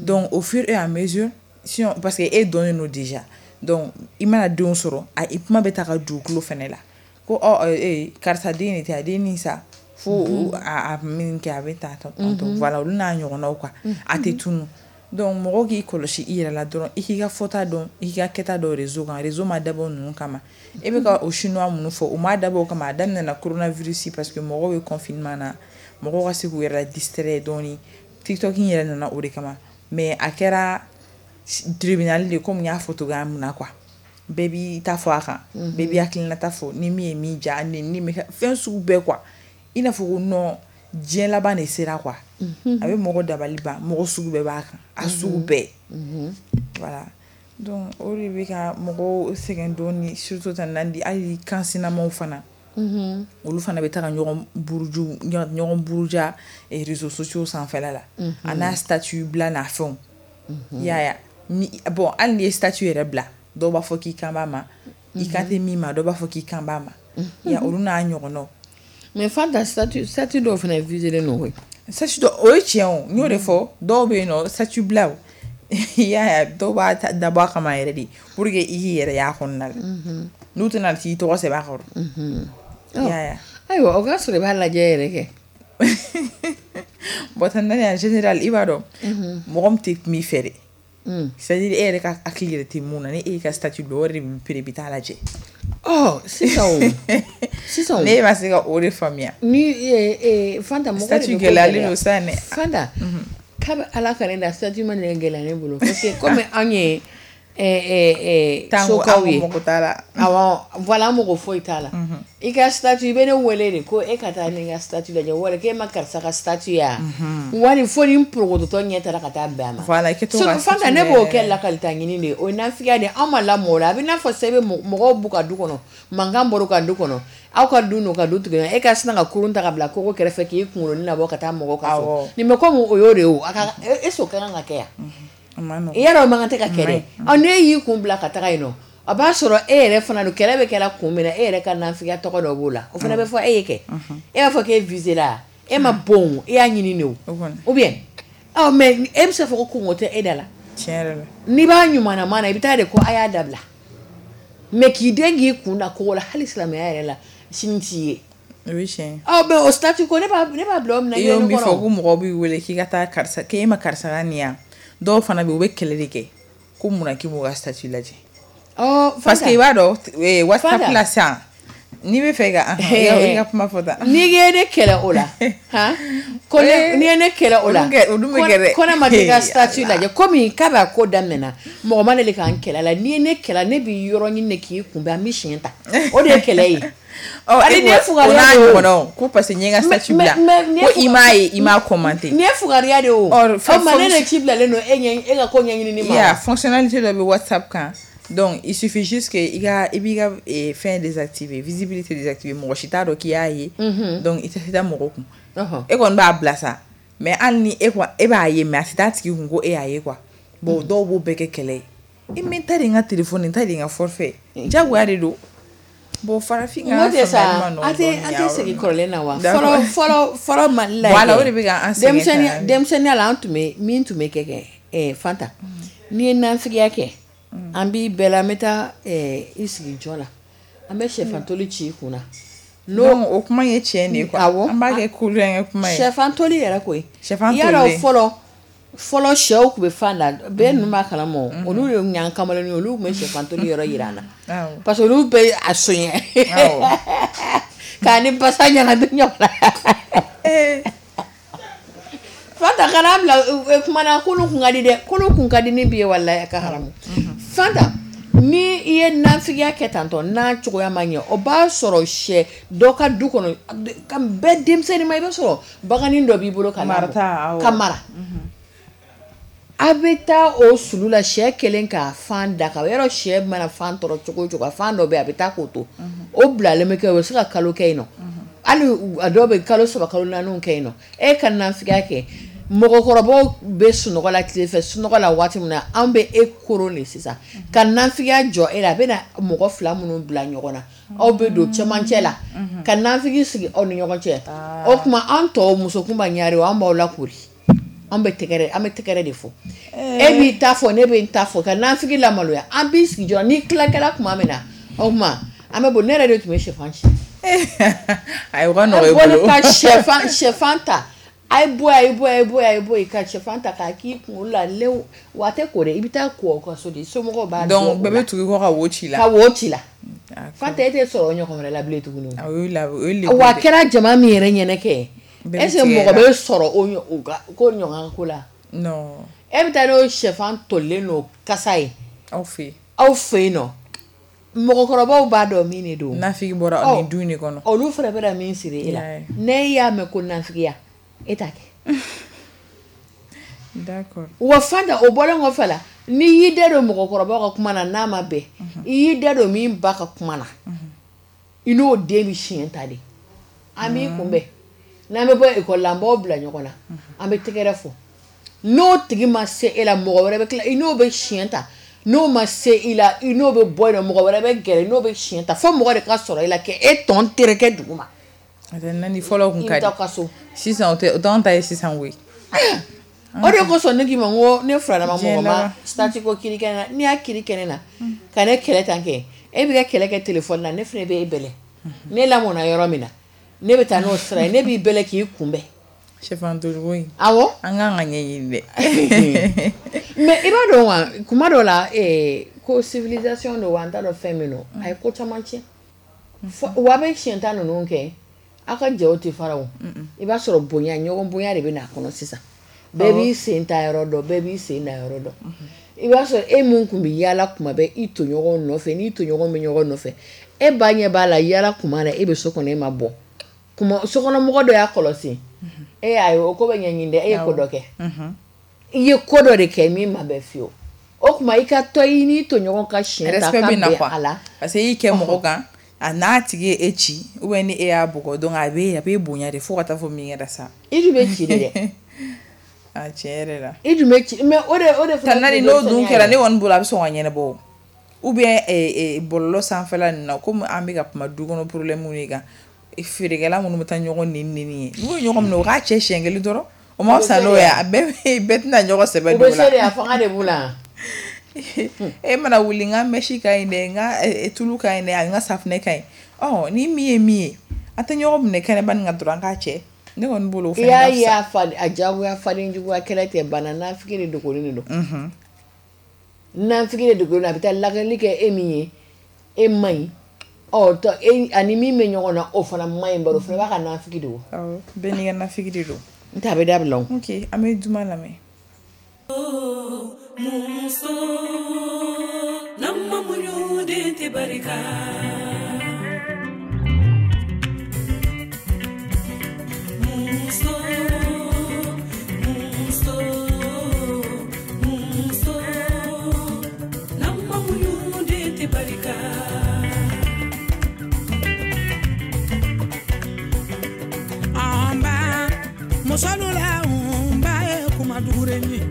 Donc au fur et à mesure, sinon parce que e dɔnnen don déjà, donc i mana denw sɔrɔ, a i kuma bɛ taa ka dugukolo fɛnɛ la ko ɔ ee karisa den de tɛ a den ni sa fo a a min kɛ a bɛ tan tantɔ, voilà, olu n'a ɲɔgɔnnaw quoi, a tɛ tunu. Donc mɔgɔ k'i kɔlɔsi i yɛrɛ la dɔrɔn, i k'i ka fɔta dɔn, i k'i ka kɛta dɔn réseau kan. Réseau ma dabɔ ninnu kama. E bɛ ka o chinois minnu fɔ, o ma dabɔ o kama. A daminɛna coronavirus parce que mɔgɔw bɛ confinement na, mɔgɔw ka se k'u yɛrɛ la distraire dɔɔni. TikTok in yɛrɛ nana o de kama, mais a kɛra tribunal de, komi n y'a fɔ cogoya min na quoi, bɛɛ b'i ta fɔ a kan, bɛɛ b'i hakilinata fɔ, ni min ye min ja, ni ni fɛn sugu bɛɛ quoi, i n'a fɔ ko non, diɲɛ laban de sera quoi. A bɛ mɔgɔ dabali ban, mɔgɔ sugu bɛɛ b'a kan, a sugu bɛɛ, voilà. Donc o de bɛ ka mɔgɔw sɛgɛn dɔɔni, surtout tan Nandi, hali kan sinamaw fana, olu fana bɛ taga ɲɔgɔn buruju, ɲɔgɔn buruja réseaux sociaux sanfɛla la, a n'a statut bila n'a fɛnw, i y'a ye. Ni bon, hali n'i ye statut yɛrɛ bila, dɔw b'a fɔ k'i kan b'a ma, i kan tɛ min ma, dɔw b'a fɔ k'i kan b'a ma, ya olu n'a ɲɔgɔnnaw. Mais Fanta, statut statut dɔw fana visé don koyi. Statut dɔ, o ye tiɲɛ o, n y'o de fɔ, dɔw bɛ yen nɔ, statut bila o, i y'a ye, dɔw b'a dabɔ a kama yɛrɛ de pour que i k'i yɛrɛ y'a kɔnɔna la, n'u tɛna t'i tɔgɔ sɛbɛn a kɔrɔ, i y'a ye. Ayiwa, o ka sɔrɔ i b'a lajɛ yɛrɛ kɛ. Bon, tan Nani, en général, i b'a dɔn mɔgɔ min tɛ kuma i fɛ dɛ, c'est à dire e yɛrɛ ka hakili yɛrɛ tɛ mun na, ni e y'i ka statut bila, o yɛrɛ de bɛ pere i bɛ taa lajɛ. Ɔ sisan o, sisan o, ne ma se ka o de faamuya. Ni Fanta, mɔgɔ statut gɛlɛyalen don sa dɛ. Fanta, kabi Ala ka ne da, statut ma deli gɛlɛya ne bolo, parce que komi anw ye sokaw ye, mɔgɔ t'a la. Awɔ, voilà, mɔgɔ foyi t'a la. I ka statut, i bɛ ne wele de ko e ka taa ne ka statut lajɛ, wali k'e ma karisa ka statut ye wa, wali fo ni n porokoto ɲɛ taara ka taa bɛn a ma. Voilà, i kɛ to ka Fanta, ne b'o kɛ lakalita ɲini de ye, o ye nafigiya de ye. Anw ma lamɔ o la. A bɛ n'a fɔ sisan, i bɛ mɔgɔw b'u ka du kɔnɔ, mankan bɔra u ka du kɔnɔ, aw ka du n'u ka du tigɛ, e ka sina ka kurun ta ka bila kogo kɛrɛfɛ k'i kunkolonin labɔ ka taa mɔgɔw ka so. Nin bɛ komi o y'o de ye o, a ka e o ka kan ka kɛ yan. I yɛrɛ, o man kan tɛ ka kɛ dɛ. Ɔ n'e y'i kun bila ka taga yen nɔ, a b'a sɔrɔ e yɛrɛ fana don, kɛlɛ bɛ kɛra kun min na, e yɛrɛ ka nafigiya tɔgɔ dɔ b'o la, o fana bɛ fɔ e ye kɛ. E b'a fɔ k'e visé la, e ma bon, e y'a ɲini de o, ou bien ɔ mais e bɛ se k'a fɔ ko kungo tɛ e da la. Tiɲɛ yɛrɛ la. N'i b'a ɲumanama na, i bɛ taa de ko a y'a dabila, mais k'i den k'i kun da kogo la, hali silamɛya yɛrɛ la, sini t'i ye. O ye tiɲɛ ye. Ɔ mais o statut ko, ne b'a ne b'a bila o minɛ. I y'o min fɔ ko mɔgɔw b'i wele k'i ka taa karisa, k'e ma karisa ka nin yan, dɔw fana bɛ yen, u bɛ kɛlɛ de kɛ ko munna k'i m'u ka statut lajɛ. Ɔ parce que i b'a dɔn WhatsApp la sisan, n'i bɛ fɛ ka i ka kuma fɔ tan. N'i ye ne kɛlɛ o la, han, ko ne n'i ye ne kɛlɛ o la, olu bɛ kɛ dɛ. Ko ne ma t'i ka statut lajɛ, komi kabi a ko daminɛna, mɔgɔ ma deli k'an kɛlɛ la. N'i ye ne kɛlɛ, ne b'i yɔrɔ ɲini de k'i kunbɛn, an bɛ siɲɛ ta, o de ye kɛlɛ ye. Ɔ hali ni ye fugariya de o, ko parce que n ye n ka statut bila, ko i m'a ye, i m'a commenté. Nin ye fugariya de o. O ma ne de ci bilalen don e ɲɛ, e ka ko ɲɛɲinini ma. Yeah, fonctionnalité dɔ bɛ WhatsApp kan. Donc il suffit juste que i ka i b'i ka fɛn désactiver, visibilité désactiver, mɔgɔ si t'a dɔn k'i y'a ye. Donc i tɛ taa mɔgɔ kun. E kɔni b'a bila sa, mais hali ni e e b'a ye, mais a tɛ taa tigi kun ko e y'a ye quoi. Bon, dɔw b'o bɛɛ kɛ kɛlɛ ye. I mais n ta de ye n ka téléphone, n ta de ye n ka forfait. Diyagoya de don. Bon farafin ka sa an tɛ segin kɔrɔlen na wa fɔlɔ fɔlɔ fɔlɔ Mali la voilà o de bɛ ka an sɛgɛn denmisɛnninya la an tun bɛ min tun bɛ kɛ kɛ Fanta n'i ye nafigiya kɛ an b'i bɛɛ la an bɛ taa i sigi jɔ la an bɛ sɛfan toli ci i kunna. Non o kuma ye tiɲɛ de ye quoi awɔ an b'a kɛ kulonkɛ kuma ye sɛfan toli yɛrɛ koyi sɛfan toli yarɔ fɔlɔ fɔlɔ sɛw tun bɛ fan da bɛɛ ninnu b'a kalama olu de y'an kamalennin ye olu tun bɛ sɛfan toli yɔrɔ yira an na parce que olu bɛ a soɲɛ k'a ni basa ɲagami ɲɔgɔn na Fanta kana bila kuma na k'olu kun ka di dɛ k'olu kun ka di ni bi ye walayi a ka haramu Fanta ni i ye nafigiya kɛ tantɔ n'a cogoya ma ɲɛ o b'a sɔrɔ sɛ dɔ ka du kɔnɔ ka bɛɛ denmisɛnnin ma i b'a sɔrɔ baganin dɔ b'i bolo ka ka mara a bɛ taa o sulu la sɛ kelen k'a fan da ka yɔrɔ sɛ mana fan tɔɔrɔ cogo o cogo a fan dɔ bɛ yen a bɛ taa k'o to o bilalen bɛ kɛ o bɛ se ka kalo kɛ yen nɔ hali a dɔw bɛ kalo saba kalo naani kɛ yen nɔ e ka nafigiya kɛ mɔgɔkɔrɔbaw bɛ sunɔgɔ la tile fɛ sunɔgɔ la waati min na an bɛ e koron de sisan ka nafigiya jɔ e la a bɛ na mɔgɔ fila minnu bila ɲɔgɔn na aw bɛ don cɛmancɛ la ka nafigi sigi aw ni ɲɔgɔn cɛ o tuma an tɔw muso kunba ɲare an b'aw lakori an bɛ tɛgɛrɛ an bɛ tɛgɛrɛ de fɔ e b'i ta fɔ ne bɛ n ta fɔ ka nafigi lamaloya an b'i sigi jɔ n'i tilakɛla tuma min na o tuma an bɛ bɔ ne yɛrɛ de tun bɛ sɛfan ci ayi o ka nɔgɔ i bolo ka sɛfan sɛfan ta a ye bɔ a ye bɔ a ye bɔ a ye bɔ ka sɛfan ta k'a k'i kunkolo la lew wa a tɛ ko dɛ i bɛ taa ko aw ka so de somɔgɔw b'a dɔn donc bɛɛ bɛ tugu i kɔ ka wo ci la ka wo ci la Fanta e tɛ sɔrɔ o ɲɔgɔn wɛrɛ la bilen tuguni o ye wa a kɛra jama min yɛrɛ ɲɛnɛ kɛ est-ce que mɔgɔ bɛ sɔrɔ o ko ɲɔgɔn ko la non e bɛ taa n'o sɛfan tolilen n'o kasa ye aw fɛ yen aw fɛ yen nɔ mɔgɔkɔrɔbaw b'a dɔn min de don nafigi bɔra nin du in de kɔnɔ olu fana bɛna min siri e la n'e y'a mɛn ko nafigiya e t'a kɛ d'accord wa Fanta o bɔlen kɔfɛ la n'i y'i da don mɔgɔkɔrɔbaw ka kuma na n'a ma bɛn i y'i da don min ba ka kuma na i n'o den bɛ siɲɛ ta de an b'i kunbɛn n'an bɛ bɔ ekɔli la an b'aw bila ɲɔgɔn na an bɛ tɛgɛrɛ fɔ n'o tigi ma se e la mɔgɔ wɛrɛ bɛ tila i n'o bɛ siɲɛ ta n'o ma se i la i n'o bɛ bɔ yen nɔ mɔgɔ wɛrɛ bɛ gɛrɛ n'o bɛ siɲɛ ta fo mɔgɔ de ka sɔrɔ i la k'e tɔn tereke dugu ma. Nani fɔlɔ kun ka di so sisan o tɛ o t'anw ta ye sisan koyi. O de kosɔn ne k'i ma n ko ne furadama mɔgɔ ma statut ko kiiri kɛnɛ na n'i y'a kiiri kɛnɛ na ka ne kɛlɛ tan kɛ e bɛ ka kɛlɛ kɛ téléphone na ne fana bɛ e bɛlɛ ne lamɔna yɔrɔ min na ne bɛ taa n'o sira ye ne b'i bɛlɛ k'i kunbɛn. Sɛfan toliko in. Awɔ. An kan ka ɲɛɲini dɛ. Mais i b'a dɔn wa kuma dɔ la ko civilisation don wa an t'a dɔn fɛn min don a ye ko caman tiɲɛ wa bɛ siɲɛ tan ninnu kɛ aw ka jɛw tɛ fara o i b'a sɔrɔ bonya ɲɔgɔn bonya de bɛ n'a kɔnɔ sisan bɛɛ b'i sen ta yɔrɔ dɔn bɛɛ b'i sen da yɔrɔ dɔn i b'a sɔrɔ e min tun bɛ yaala kuma bɛɛ i tɔɲɔgɔn nɔfɛ n'i tɔɲɔgɔn bɛ ɲɔgɔn nɔfɛ e ba ɲɛ b'a la yaala kuma na e bɛ so kɔnɔ e ma bɔ kuma sokɔnɔmɔgɔ dɔ y'a kɔlɔsi e y'a ye o ko bɛ ɲɛɲini dɛ e ye ko dɔ kɛ i ye ko dɔ de kɛ min ma bɛn fiyewu o tuma i ka tɔ i n'i tɔɲɔgɔn ka siɲɛ ta ka bɛn a la parce que i y'i kɛ mɔgɔ kan a n'a tigi ye e ci ou bien ni e y'a bugɔ donc a bɛ a bɛ bonya de fo ka taa fɔ min kɛra sa i dun bɛ ci de dɛ a tiɲɛ yɛrɛ la i dun bɛ ci mais o de o de fana n'o dun kɛra ne kɔni bolo a bɛ sɔn ka ɲɛnabɔ ou bien bɔlɔlɔ sanfɛla ninnu na komi an bɛ ka kuma du kɔnɔ problème de kan feerekɛla minnu bɛ taa ɲɔgɔn neni neni ye n'u ye ɲɔgɔn minɛ u k'a cɛ siɲɛ kelen dɔrɔn o ma fisa n'o ye a bɛɛ bɛɛ tɛna ɲɔgɔn sɛbɛ don o la u bɛ se de a fanga de b'u la e mana wuli n ka mɛsi ka ɲi dɛ n ka tulu ka ɲi dɛ n ka safunɛ ka ɲi ɔ ni min ye min ye an tɛ ɲɔgɔn minɛ kɛnɛba nin kan dɔrɔn an k'a cɛ ne kɔni bolo o fɛnɛ ka fisa i y'a ye a jagoya faden juguya kɛlɛ tɛ bana nafigi de dogolen de don nafigi de dogolen don a bɛ taa lakali kɛ e min ye e man ɲi ɔ tɔ e ani min bɛ ɲɔgɔn na o fana man ɲi bari o fana b'a ka nafigi de o awɔ bɛɛ n'i ka nafigi de don n tɛ a bɛ dabila o ok an bɛ duman lamɛn. Muso n'an ma muɲu den tɛ barika muso muso muso n'an ma muɲu den tɛ barika an ba muso la n ba ye kuma dugure ye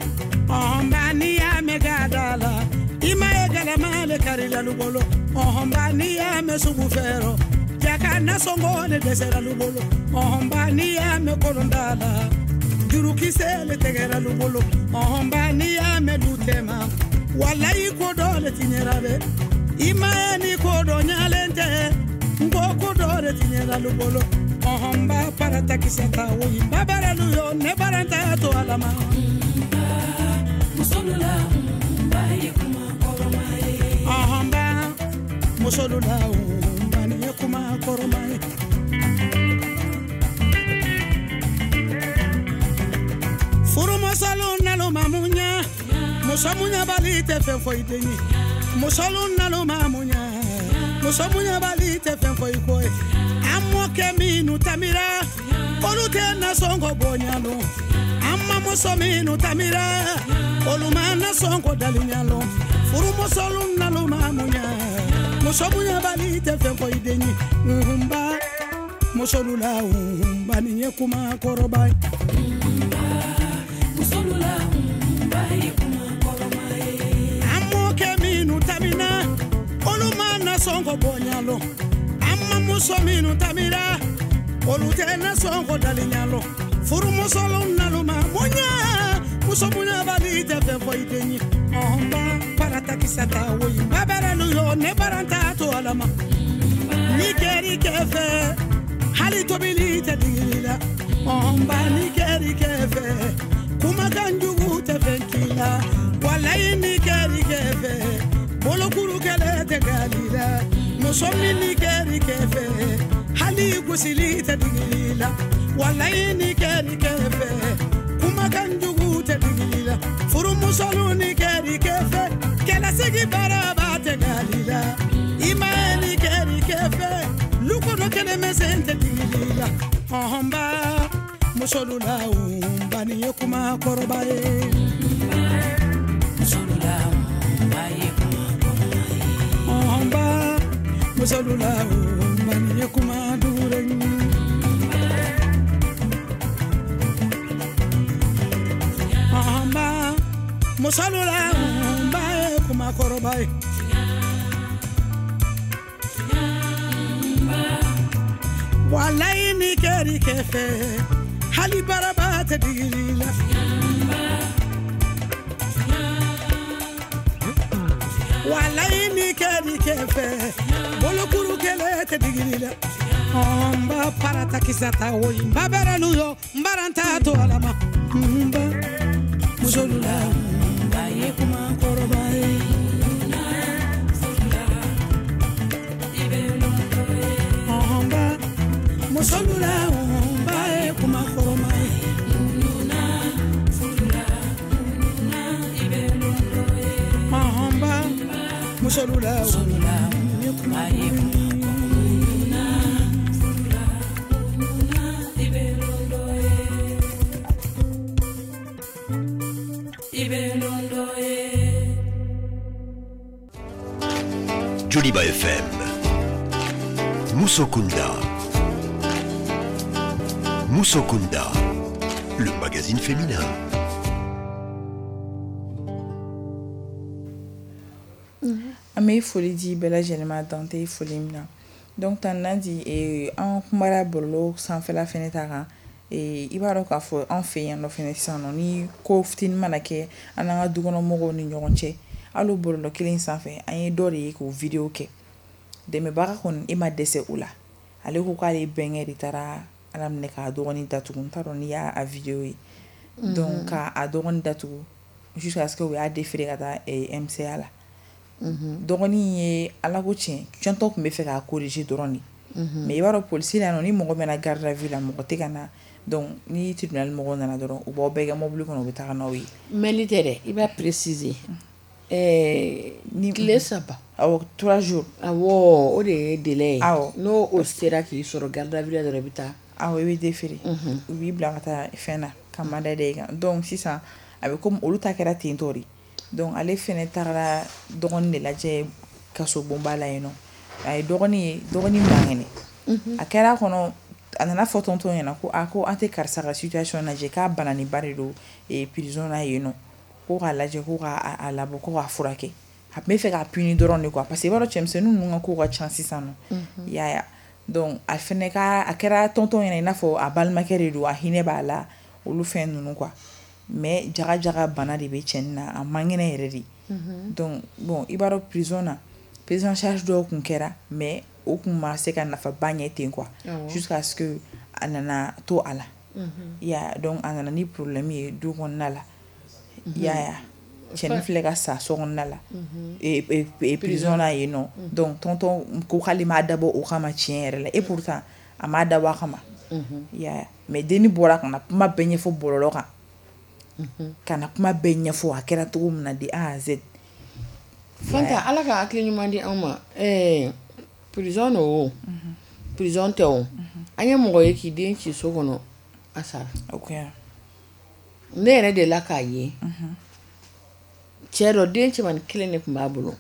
ɔn ba n'i y'a mɛn ka da la i ma ye galama le kari lalu bolo Ɔhɔnba n'i y'a mɛn sugu fɛrɔ jaka nasɔngɔ le dɛsɛra lu bolo. Ɔhɔnba n'i y'a mɛn kolonda la jurukisɛ le tɛgɛra lu bolo. Ɔhɔnba n'i y'a mɛn du tɛma walayi ko dɔ le tiɲɛra dɛ. I ma ye ni ko dɔ ɲalen tɛ n ko ko dɔ le tiɲɛra lu bolo. Ɔhɔnba parata kisɛ ta woyi babaralu yo ne baranta to alama. Musolu la nba ye kuma kɔrɔma ye. Ɔhɔnba musolu la nba ni ye kuma kɔrɔma ye. Furumusow nalo ma munya, muso munyabali tɛ fɛn foyi den ye. Musolu nalo ma munya, muso munyabali tɛ fɛn foyi ko ye. An mɔkɛ minnu tamira, olu tɛ nasɔngɔ bonya lɔn. An mamuso minnu tamira, olu ma nasɔngɔ dalinya lɔn. Furumusow nalo ma munya, muso munyabali tɛ fɛn foyi den ye. Nba musolu la nba nin ye kuma kɔrɔba ye. Musolu la nba ye kuma kɔrɔma ye. An mɔkɛ minnu tamina, olu ma nasɔngɔ bonya lɔn. An mamuso minnu tamira, olu tɛ nasɔngɔ dalinya lɔn. Furumusow nalo ma munya, muso munyabali tɛ fɛn foyi den ye. Ɔhɔnba parata kisa ta woyi babaralu yo ne baranta to alama. Ni kɛri kɛ fɛ, hali tobili tɛ digili la. Ɔhɔnba ni kɛri kɛ fɛ, kumakan jugu tɛ fɛn k'i la. Walayi ni kɛri kɛ fɛ, bolokuru kɛlɛ tɛ gali la. Muso min ni kɛri kɛ fɛ, hali gosili tɛ digili la. Walayi ni kɛri kɛ fɛ, kumakan jugu tɛ digili la. Furumusow ni kɛri kɛ fɛ, kɛlɛsigi baaraba tɛ gali la. I ma ye ni kɛri kɛ fɛ, lukono kelen mɛsɛn tɛ digili la. Ɔhɔnba musolu la nba nin ye kuma kɔrɔba ye. Musolu la nba ye kuma kɔrɔma ye. Ɔhɔnba musolu la nba nin ye kuma duure ye. Ɔhɔnba musolu la nba ye kuma kɔrɔba ye. Walayi ni kɛri kɛ fɛ, hali baraba tɛ digili la. Walayi ni kɛri kɛ fɛ, bolokuru kɛlɛ tɛ digili la. Nba parata kisa ta woyi babaralu yo n baranta to alama. Nba musolu la nba ye kuma kɔrɔba ye. Ɔhɔnba musolu la nba ye kuma kɔrɔma ye. Ɔhɔnba musolu la nba ye kuma kɔrɔma ye. Joliba F M, Musokunda. Musokunda, le magazine féminin. An bɛ foli di bɛɛ lajɛlen ma dan tɛ foli min na. Donc tan Nandi an kumara bɔlɔlɔ sanfɛla fɛnɛ ta kan. I b'a dɔn k'a fɔ an fɛ yan nɔ fɛnɛ sisan nɔ ni ko fitinin mana kɛ an n'an ka dukɔnɔmɔgɔw ni ɲɔgɔn cɛ, hali o bɔlɔlɔ kelen sanfɛ an ye dɔ de ye k'o vidéo kɛ. Dɛmɛbaga kɔni e ma dɛsɛ o la. Ale ko k'ale bɛnkɛ de taara Ala minɛ k'a dɔgɔnin datugu. N t'a dɔn n'i y'a vidéo ye. Donc k'a dɔgɔnin datugu jusqu'à ce que u y'a déféré ka taa M C A la. Dɔgɔnin ye Ala ko tiɲɛ tiɲɛtɔ tun bɛ fɛ k'a corriger dɔrɔn de. Mais i b'a dɔn polisi la ni mɔgɔ mɛnna garde à vue la mɔgɔ tɛ ka na. Donc ni tribunal mɔgɔw nana dɔrɔn u b'aw bɛɛ kɛ mobili kɔnɔ u bɛ taga n'aw ye. Mɛli tɛ dɛ, i b'a préciser. Ɛɛ ni tile saba. Awɔ, trois jours. Awɔ, o de ye délai ye. Awɔ. N'o o sera k'i sɔrɔ garde à vue la dɔrɔn i bɛ taa. Awɔ, i bɛ déféré. U b'i bila ka taa fɛn na ka mandat da i kan. Donc sisan a bɛ komi olu ta kɛra ten tɔ de. Donc ale fɛnɛ taara dɔgɔnin de lajɛ kasobonba la yen nɔ. A ye dɔgɔnin ye, dɔgɔnin man kɛnɛ. A kɛra a kɔnɔ, a nana fɔ tonton ɲɛna ko a ko an tɛ karisa ka situation lajɛ k'a bananiba de don prison na yen nɔ. Ko k'a lajɛ ko k'a labɔ ko k'a furakɛ. A tun bɛ fɛ k'a punir dɔrɔn de quoi, parce que i b'a dɔn cɛmisɛnnin ninnu ka kow ka ca sisan nɔ. I y'a ye. Donc a fɛnɛ ka a kɛra tonton ɲɛna i n'a fɔ a balimakɛ de don, a hinɛ b'a la, olu fɛn ninnu quoi. Mais jaga jaga bana de bɛ cɛnin na, a man kɛnɛ yɛrɛ de. Donc bon, i b'a dɔn prison na, prise en charge dɔw kun kɛra, mais o kun ma se ka nafaba ɲɛ ten quoi, jusqu'à ce que a nana to a la. I y'a ye. Donc a nana ni problème ye du kɔnɔna la. I y'a ye. Cɛnin filɛ ka sa so kɔnɔna la, prison na yen nɔ. Donc tonton ko k'ale m'a dabɔ o kama tiɲɛ yɛrɛ la, et pourtant a m'a dabɔ a kama. I y'a ye. Mais denni bɔra ka na kuma bɛɛ ɲɛfɔ bɔlɔlɔ kan, ka na kuma bɛɛ ɲɛfɔ a kɛra cogo min na de A à Z. Fanta, Ala ka hakili ɲuman di anw ma. Ɛɛ prison don o, prison tɛ o, an ye mɔgɔ ye k'i den ci so kɔnɔ, a sara. Ne yɛrɛ de la k'a ye. Cɛ dɔ, den cɛmannin kelen de tun b'a bolo,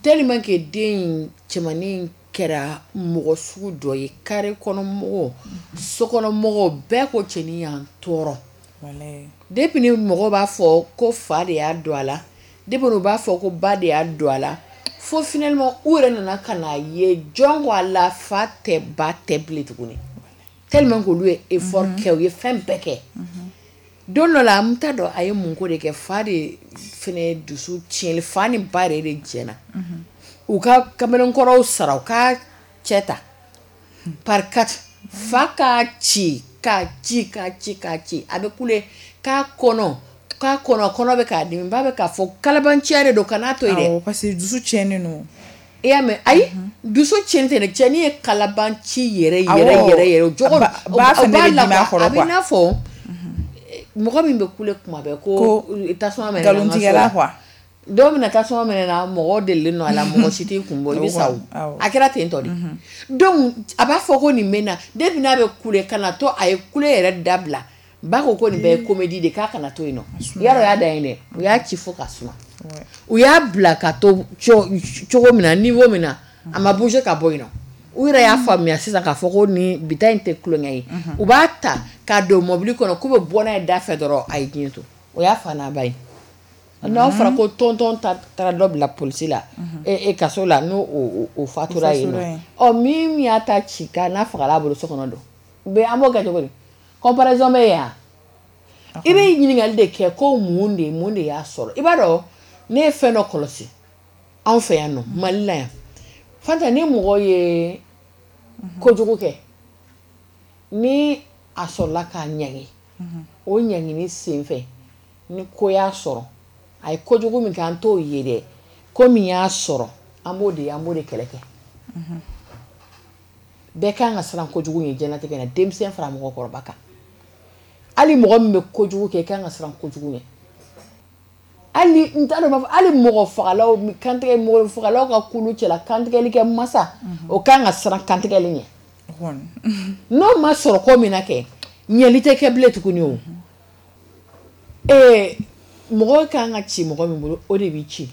tellement que den in cɛmannin kɛra mɔgɔ sugu dɔ ye, carré kɔnɔ mɔgɔw, sokɔnɔ mɔgɔw bɛɛ ko cɛnin y'an tɔɔrɔ. Depuis ni mɔgɔw b'a fɔ ko fa de y'a don a la, depuis u b'a fɔ ko ba de y'a don a la, fo finalement u yɛrɛ nana ka n'a ye jɔn ko a la, fa tɛ ba tɛ bilen tuguni, tellement que olu ye effort kɛ, u ye fɛn bɛɛ kɛ. Don dɔ la, n t'a dɔn a ye mun ko de kɛ, fa de fɛnɛ dusu tiɲɛli, fa ni ba yɛrɛ de jɛna u ka kamalenkɔrɔw sara, u ka cɛ ta par quatre, fa k'a ci k'a ci k'a ci k'a ci, a bɛ kule k'a kɔnɔ k'a kɔnɔ kɔnɔ bɛ k'a dimi, ba bɛ k'a fɔ kalabanciya de don, kan'a to yen dɛ. Parce que dusu tiɲɛnen don. I y'a mɛn? Ayi, dusu tiɲɛni tɛ dɛ, cɛnin ye kalabanci yɛrɛ yɛrɛ yɛrɛ yɛrɛ o jogo ba fɛnɛ bɛ dimi a kɔrɔ. A bɛ i n'a fɔ mɔgɔ min bɛ kule kuma bɛɛ ko tasuma mɛnɛ na, nkalontigɛla quoi. Don min na tasuma mɛnɛ na, mɔgɔ delilen don a la, mɔgɔ si t'i kun bɔ, i bɛ sa o. A kɛra ten tɔ de. Donc a b'a fɔ ko nin bɛ na, depuis n'a bɛ kule ka na to a ye kule yɛrɛ dabila, ba ko ko nin bɛɛ ye comédie de, k'a kana to yen nɔ. Yarɔ, y'a da yen dɛ, u y'a ci fo ka suma. U y'a bila ka to cogo min na, niveau min na, a ma bouger ka bɔ yen nɔ. U yɛrɛ y'a faamuya sisan k'a fɔ ko nin bi ta in tɛ tulonkɛ ye. U b'a ta k'a don mobili kɔnɔ k'u bɛ bɔ n'a ye da fɛ dɔrɔn, a ye diɲɛ to. O y'a fa n'a ba ye. N'a fɔra ko tonton taara dɔ bila polisi la, e kaso la, n'o o fatura yen nɔ. Ɔ min y'a ta ci ka n'a fagala a bolo so kɔnɔ don. Bɛ an b'o kɛ cogo di? Comparaison bɛ yen wa? I bɛ ɲininkali de kɛ ko mun de mun de y'a sɔrɔ. I b'a dɔn, ne ye fɛn dɔ kɔlɔsi anw fɛ yan nɔ, Mali la yan. Fanta, ni mɔgɔ ye kojugu kɛ, ni a sɔrɔla k'a ɲangi, o ɲangini sen fɛ, ni ko y'a sɔrɔ, a ye kojugu min kɛ, an t'o ye dɛ, ko min y'a sɔrɔ, an b'o de an b'o de kɛlɛ kɛ. Bɛɛ kan ka siran kojugu ɲɛ diɲɛlatigɛ na, denmisɛn fara mɔgɔkɔrɔba kan. Hali mɔgɔ min bɛ kojugu kɛ, i kan ka siran kojugu ɲɛ. Hali n t'a dɔn, b'a fɔ hali mɔgɔ fagalaw, kantigɛ mɔgɔ fagalaw ka kulu cɛla, kantigɛli kɛ masa, o kan ka siran kantigɛli ɲɛ. N'o ma sɔrɔ ko min na kɛ, ɲɛli tɛ kɛ bilen tuguni o. Ee mɔgɔ kan ka ci mɔgɔ min bolo, o de b'i ci.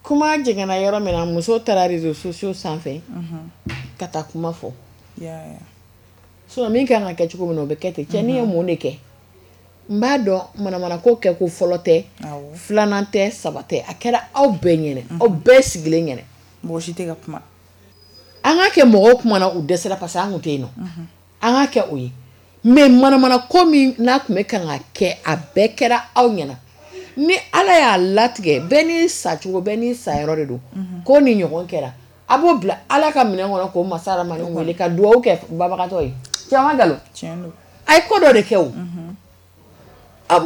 Kuma jiginna yɔrɔ min na, muso taara réseaux sociaux sanfɛ ka taa kuma fɔ. Sinon min kan ka kɛ cogo min na, o bɛ kɛ ten. Cɛnin ye mun de kɛ? N b'a dɔn manamana ko kɛ ko fɔlɔ tɛ, filanan tɛ, saba tɛ, a kɛra aw bɛɛ ɲɛna, aw bɛɛ sigilen ɲɛna. Mɔgɔ si tɛ ka kuma. An ka kɛ mɔgɔw kumana u dɛsɛra parce que an kun tɛ yen nɔ. An ka kɛ o ye. Mais manamana ko min n'a tun bɛ kan ka kɛ, a bɛɛ kɛra aw ɲɛna. Ni Ala y'a latigɛ, bɛɛ n'i sacogo, bɛɛ n'i sayɔrɔ de don. Ko ni ɲɔgɔn kɛra, a b'o bila Ala ka minɛn kɔnɔ k'o masa Ramani wele ka dugawu kɛ babagatɔ ye. Tiɲɛ ma nkalon? Tiɲɛ don. A ye ko dɔ de kɛ o.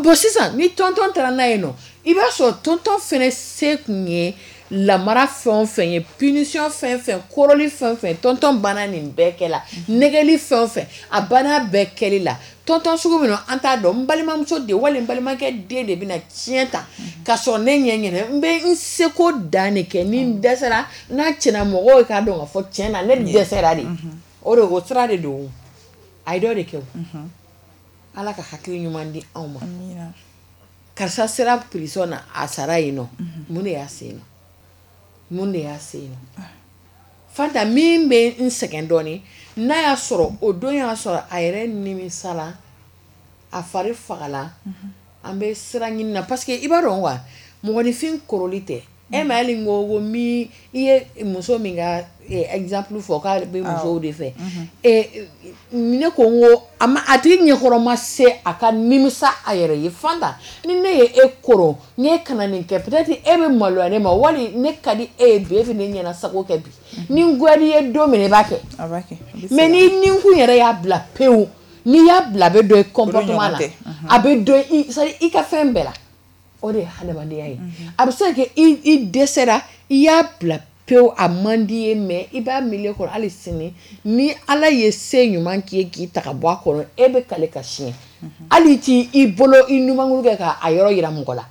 Bon sisan ni tonton taara n'a ye nɔ, i b'a sɔrɔ tonton fɛnɛ se kun ye lamara fɛn o fɛn ye, punition fɛn fɛn, kɔrɔli fɛn fɛn, tonton banna nin bɛɛ kɛ la, nɛgɛli fɛn o fɛn, a banna bɛɛ kɛli la. Tonton sugu min an t'a dɔn, n balimamuso de wali n balimakɛ den de bɛna tiɲɛ ta ka sɔrɔ ne ɲɛ ɲɛna, n bɛ n seko dan de kɛ, ni n dɛsɛra n'a tiɲɛna, mɔgɔw k'a dɔn k'a fɔ tiɲɛ na ne dɛsɛra de. O de o sira de don. A ye dɔ de kɛ o. Ala ka hakili ɲuman di anw ma. Karisa sera prison na, a sara yen nɔ. Mun de y'a se yen nɔ? Mun de y'a se yen nɔ? Fanta, min bɛ n sɛgɛn dɔɔnin, n'a y'a sɔrɔ o don y'a sɔrɔ a yɛrɛ nimisala, a fari fagala, an bɛ sira ɲini na, parce que i b'a dɔn wa, Mɔgɔninfin koroli tɛ. E ma hali ko ko min i ye muso min ka exemple fɔ k'a bɛ musow de fɛ. Ne ko n ko a ma a tigi ɲɛkɔrɔ ma se a ka nimisa a yɛrɛ ye. Fanta, ni ne ye e koron, ni e kana nin kɛ, peut-être e bɛ maloya ne ma, wali ne ka di e ye bi, e bɛ ne ɲɛna sago kɛ bi. Ni n goyara i ye don min i b'a kɛ. A b'a kɛ. Mais ni ninkun yɛrɛ y'a bila pewu, n'i y'a bila a bɛ don i comportement la, a bɛ don i, c'est-à-dire i ka fɛn bɛɛ la. O de ye hadamadenya ye. A bɛ se ka kɛ i i dɛsɛra, i y'a bila pewu, a man di ye, mais i b'a milieu kɔnɔ hali sini ni Ala ye se ɲuman k'i ye k'i ta ka bɔ a kɔnɔ, e bɛ kale ka siɲɛ. Hali t'i i bolo i numankuru kɛ k'a yɔrɔ yira mɔgɔ la.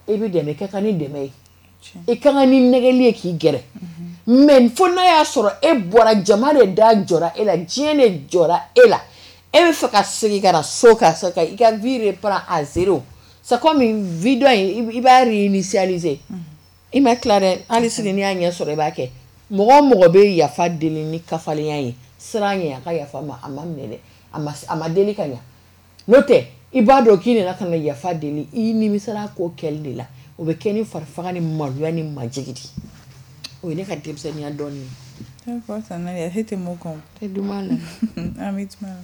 I bɛ dɛmɛ, i ka kan ni dɛmɛ ye. I ka kan ni nɛgɛli ye k'i gɛrɛ. Mais fo n'a y'a sɔrɔ e bɔra, jama de da jɔra e la, diɲɛ de jɔra e la. E bɛ fɛ ka segin ka na so ka se ka i ka vie reprendre à zéro. C'est comme une vie dɔ in, i b'a réinitialiser. I ma tila dɛ, hali sini n'i y'a ɲɛ sɔrɔ i b'a kɛ. Mɔgɔ o mɔgɔ bɛ yafa deli ni kafalenya ye, siran ɲɛ a ka yafa ma, a ma minɛ dɛ, a ma a ma deli ka ɲɛ. N'o tɛ, i b'a dɔn k'i nana ka na yafa deli, i nimisara ko kɛli de la. O bɛ kɛ ni farifaga ni maloya ni majigi de. O ye ne ka denmisɛnninya dɔɔnin ye. D'accord, Sanalia, e tɛ mun kɔn? Tɛ duman la. An bɛ tuma la.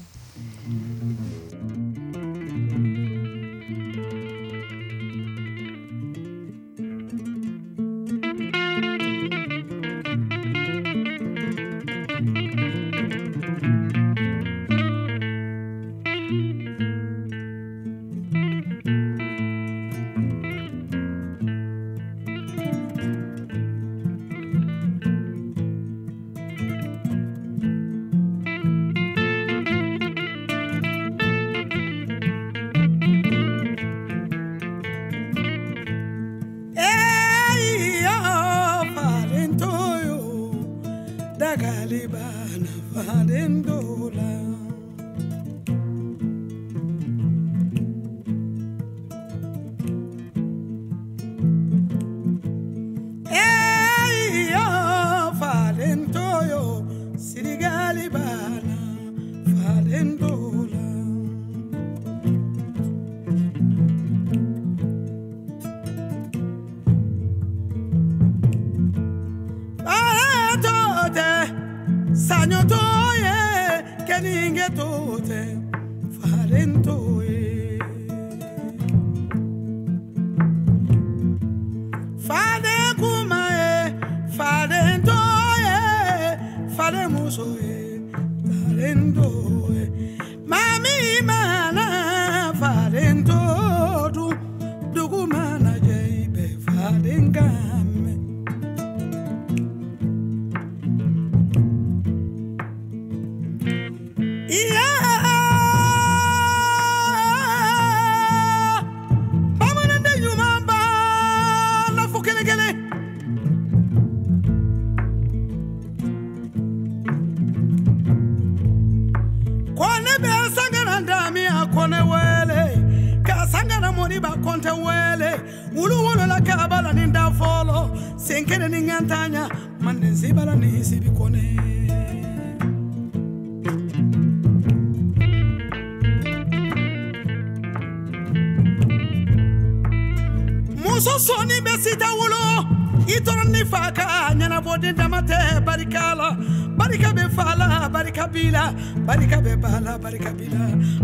Muso sɔnni bɛ sita wolo, i tɔɔrɔ ni fa ka ɲɛnabɔ den dama tɛ barika la. Barika bɛ fa la, barika b'i la, barika bɛ ba la, barika b'i la,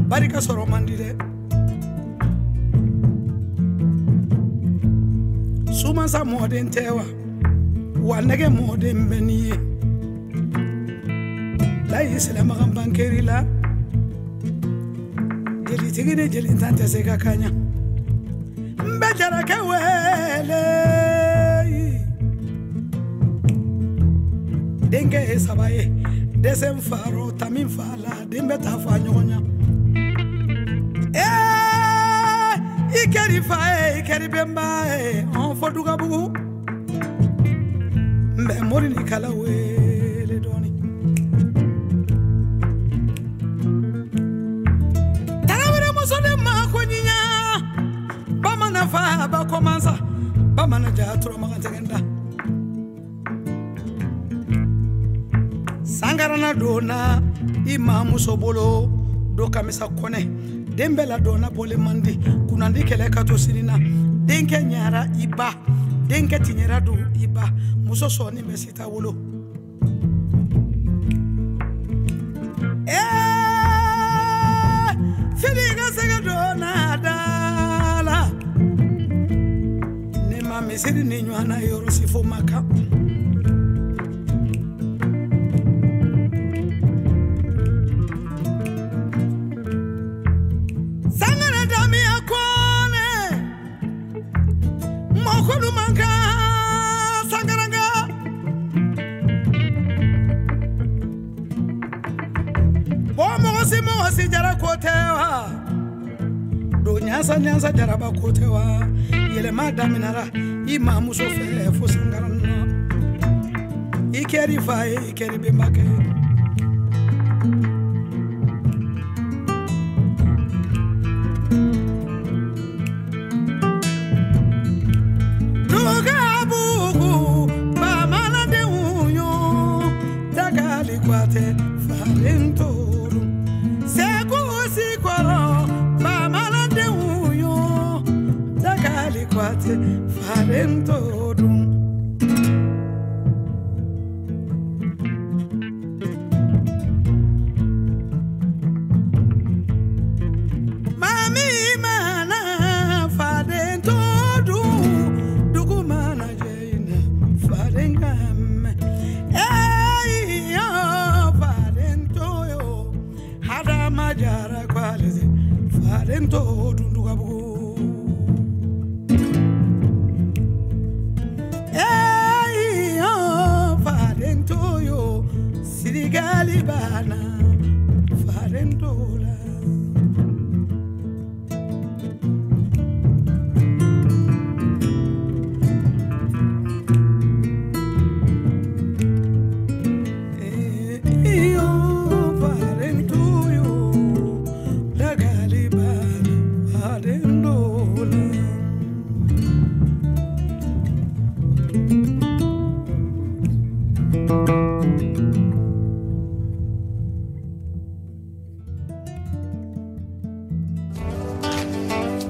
barika sɔrɔ man di dɛ. Sumansa mɔden tɛ wa, wa nɛgɛ mɔden bɛ n'i ye. Layi silamɛkan bankeri la, jelitigi ni jelintan tɛ se ka ka ɲa. N bɛ jarakɛ wele, denkɛ ye saba ye, dɛsɛ faro tami fa la, den bɛ taa fa ɲɔgɔn ɲa. Ee, i kɛr'i fa ye, i kɛr'i bɛnba ye, an fɔ Dugabugu. N bɛ mori ni kala wele dɔɔni. Tarawele muso de ma ko ɲiɲa, bamanan fa ba kɔmansa, bamanan ja turamagan tɛgɛ da. Sangarana donna i mamuso bolo do kamisa kɔnɛ, den bɛɛ ladonna bɔlen man di, kunnandi kɛlɛ ka to sini na. Denkɛ ɲara i ba, denkɛ tiɲɛra don i ba, muso sɔɔni bɛ sita wolo. Ee fili ka sɛgɛ donna da la, ne ma misiri ni ɲɔgɔn na yɔrɔ si fo ma kan. Sangare damiya kone mɔkolu man kan sangaranga. Bɔn mɔgɔ si mɔgɔ si jara ko tɛ wa, don ɲansa ɲansa jaraba ko tɛ wa. Yɛlɛma daminɛra i mamuso fɛ fo sangaranga. I kɛr'i fa ye, i kɛr'i bɛnbakɛ ye.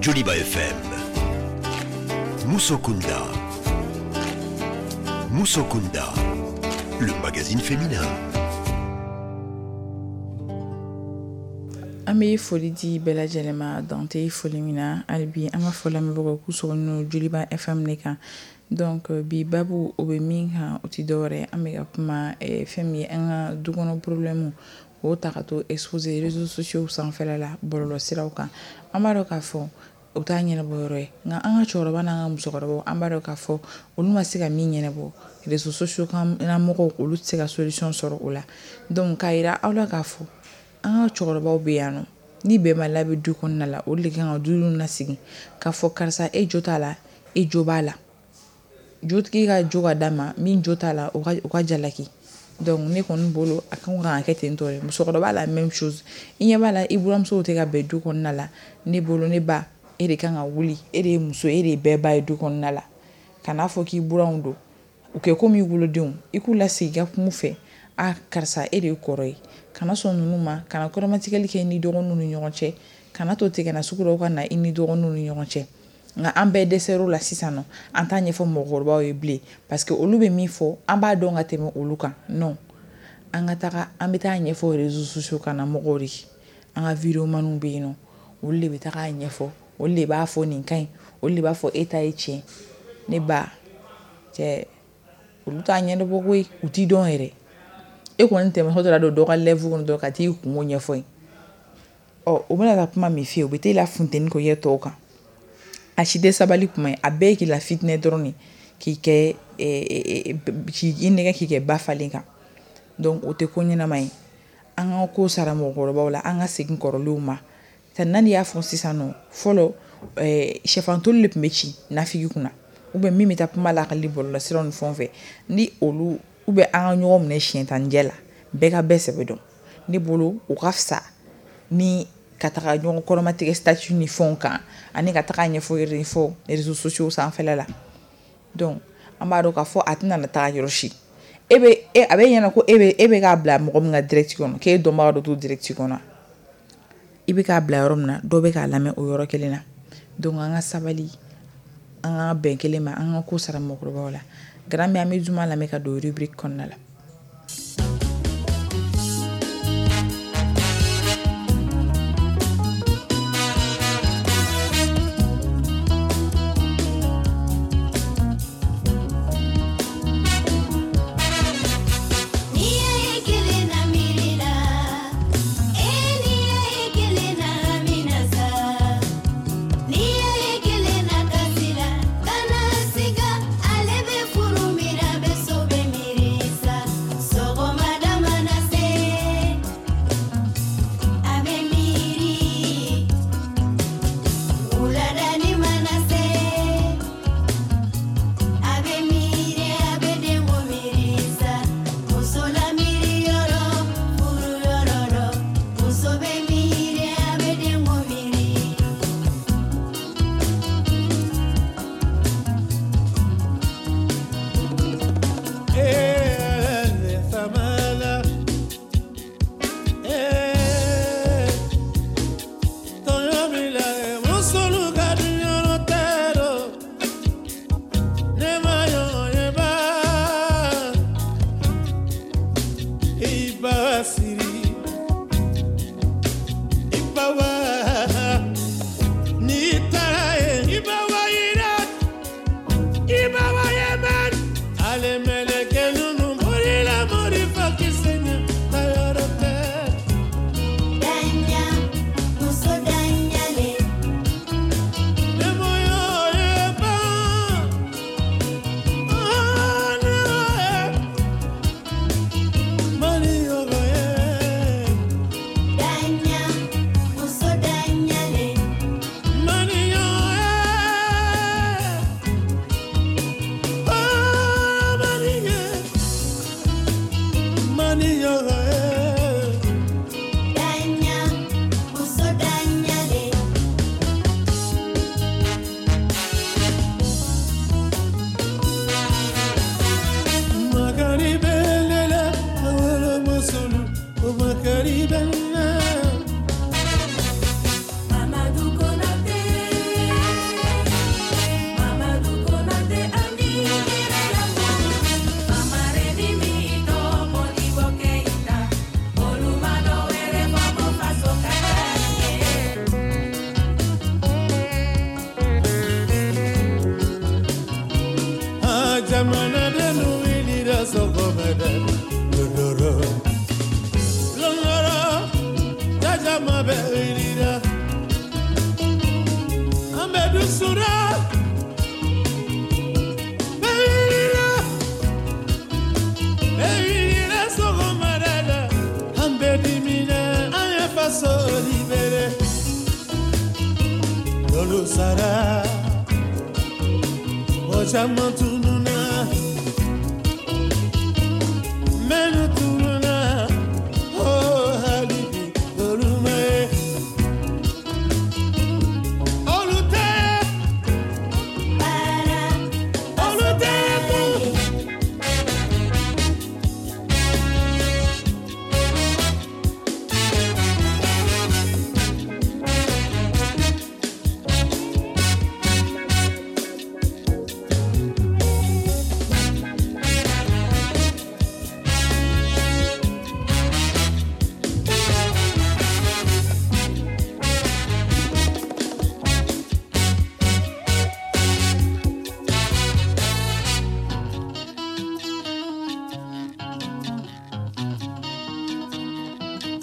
Joliba F M, Musokunda. Musokunda, le magazine féminin. An bɛ foli di bɛɛ lajɛlen ma dan tɛ foli min na. Hali bi an ka foli lamɛnbagaw k'u sɔgɔlen don Joliba F M de kan. Donc bi babu o bɛ min kan o tɛ dɔwɛrɛ, an bɛ ka kuma fɛn min ye an ka du kɔnɔ problème k'o ta ka to exposer réseaux sociaux sanfɛla la, bɔlɔlɔsiraw kan. An b'a dɔn k'a fɔ o t'a ɲɛnabɔ yɔrɔ ye, nka an ka cɛkɔrɔba n'an ka musokɔrɔbaw an b'a dɔn k'a fɔ olu ma se ka min ɲɛnabɔ réseaux sociaux kan mɔgɔw olu tɛ se ka solution sɔrɔ o la. Donc k'a yira aw la k'a fɔ an ka cɛkɔrɔbaw bɛ yan nɔ, ni bɛnbaliya bɛ du kɔnɔna la, olu de kan ka du lasigi k'a fɔ karisa e jo t'a la, e jo b'a la. Jotigi ka jo ka d'a ma, min jo t'a la o ka o ka jalaki. Donc ne kɔni bolo a kan ka kɛ ten tɔ de. Musokɔrɔba la même chose, i ɲɛ b'a la i buramusow tɛ ka bɛn du kɔnɔna la. Ne bolo ne ba, e de kan ka wuli, e de ye muso, e de ye bɛɛ ba ye du kɔnɔna la. Kan'a fɔ k'i buranw don, u kɛ komi i wolodenw, i k'u lasigi i ka kuma u fɛ. A karisa e de ye kɔrɔ ye, kana sɔn ninnu ma, kana kɔrɔmatigɛli kɛ i ni dɔgɔninw ni ɲɔgɔn cɛ, kana to ten kana sugu dɔw ka na i ni dɔgɔninw ni ɲɔgɔn cɛ. Nka an bɛɛ dɛsɛr'o la sisan nɔ, an t'a ɲɛfɔ mɔgɔkɔrɔbaw ye bilen, parce que olu bɛ min fɔ an b'a dɔn ka tɛmɛ olu kan. Non, an ka taga an bɛ taa ɲɛfɔ réseaux sociaux kan na mɔgɔw de, an ka videomaniw bɛ yen nɔ, olu de bɛ taga ɲɛfɔ, olu de b'a fɔ nin ka ɲi, olu de b'a fɔ e ta ye tiɲɛ. Ne ba cɛ, olu t'a ɲɛnabɔ koyi, u t'i dɔn yɛrɛ. E kɔni tɛmɛtɔ taara don dɔ ka live kɔnɔ dɔrɔn ka t'i kungo ɲɛfɔ yen. Ɔ o bɛna taa kuma min f'i ye, o bɛ t'e la funteni k'o kɛ tɔw kan. A si tɛ sabali kuma ye, a bɛɛ ye k'i la fitinɛ dɔrɔn de, k'i kɛ k'i nɛgɛ k'i kɛ ba falen kan. Donc o tɛ ko ɲɛnama ye. An ka ko sara mɔgɔkɔrɔbaw la, an ka segin kɔrɔlenw ma. Nani y'a fɔ sisan nɔ, fɔlɔ sɛfantoli de tun bɛ ci nafigi kunna, ou bien min bɛ taa kuma lakali bɔlɔlɔsiraw ni fɛnw fɛ, ni olu ou bien an ka ɲɔgɔn minɛ siɲɛ tan jɛ la, bɛɛ ka bɛɛ sɛbɛ dɔn. Ne bolo o ka fisa ni ka taga ɲɔgɔn kɔrɔmatigɛ statut ni fɛnw kan, ani ka taga ɲɛfɔ yɛrɛ fɔ réseaux sociaux sanfɛla la. Donc an b'a dɔn k'a fɔ a tɛna na taga yɔrɔ si. E bɛ e a bɛ ɲɛna ko e bɛ e bɛ k'a bila mɔgɔ min ka direct kɔnɔ, k'e dɔnbaga dɔ t'o direct kɔnɔ. I bɛ k'a bila yɔrɔ min na, dɔ bɛ k'a lamɛn o yɔrɔ kelen na. Donc an ka sabali, an ka bɛn kelen ma, an ka ko sara mɔgɔkɔrɔbaw la. Garan bɛ an bɛ juma lamɛn ka don rubrique kɔnɔna la.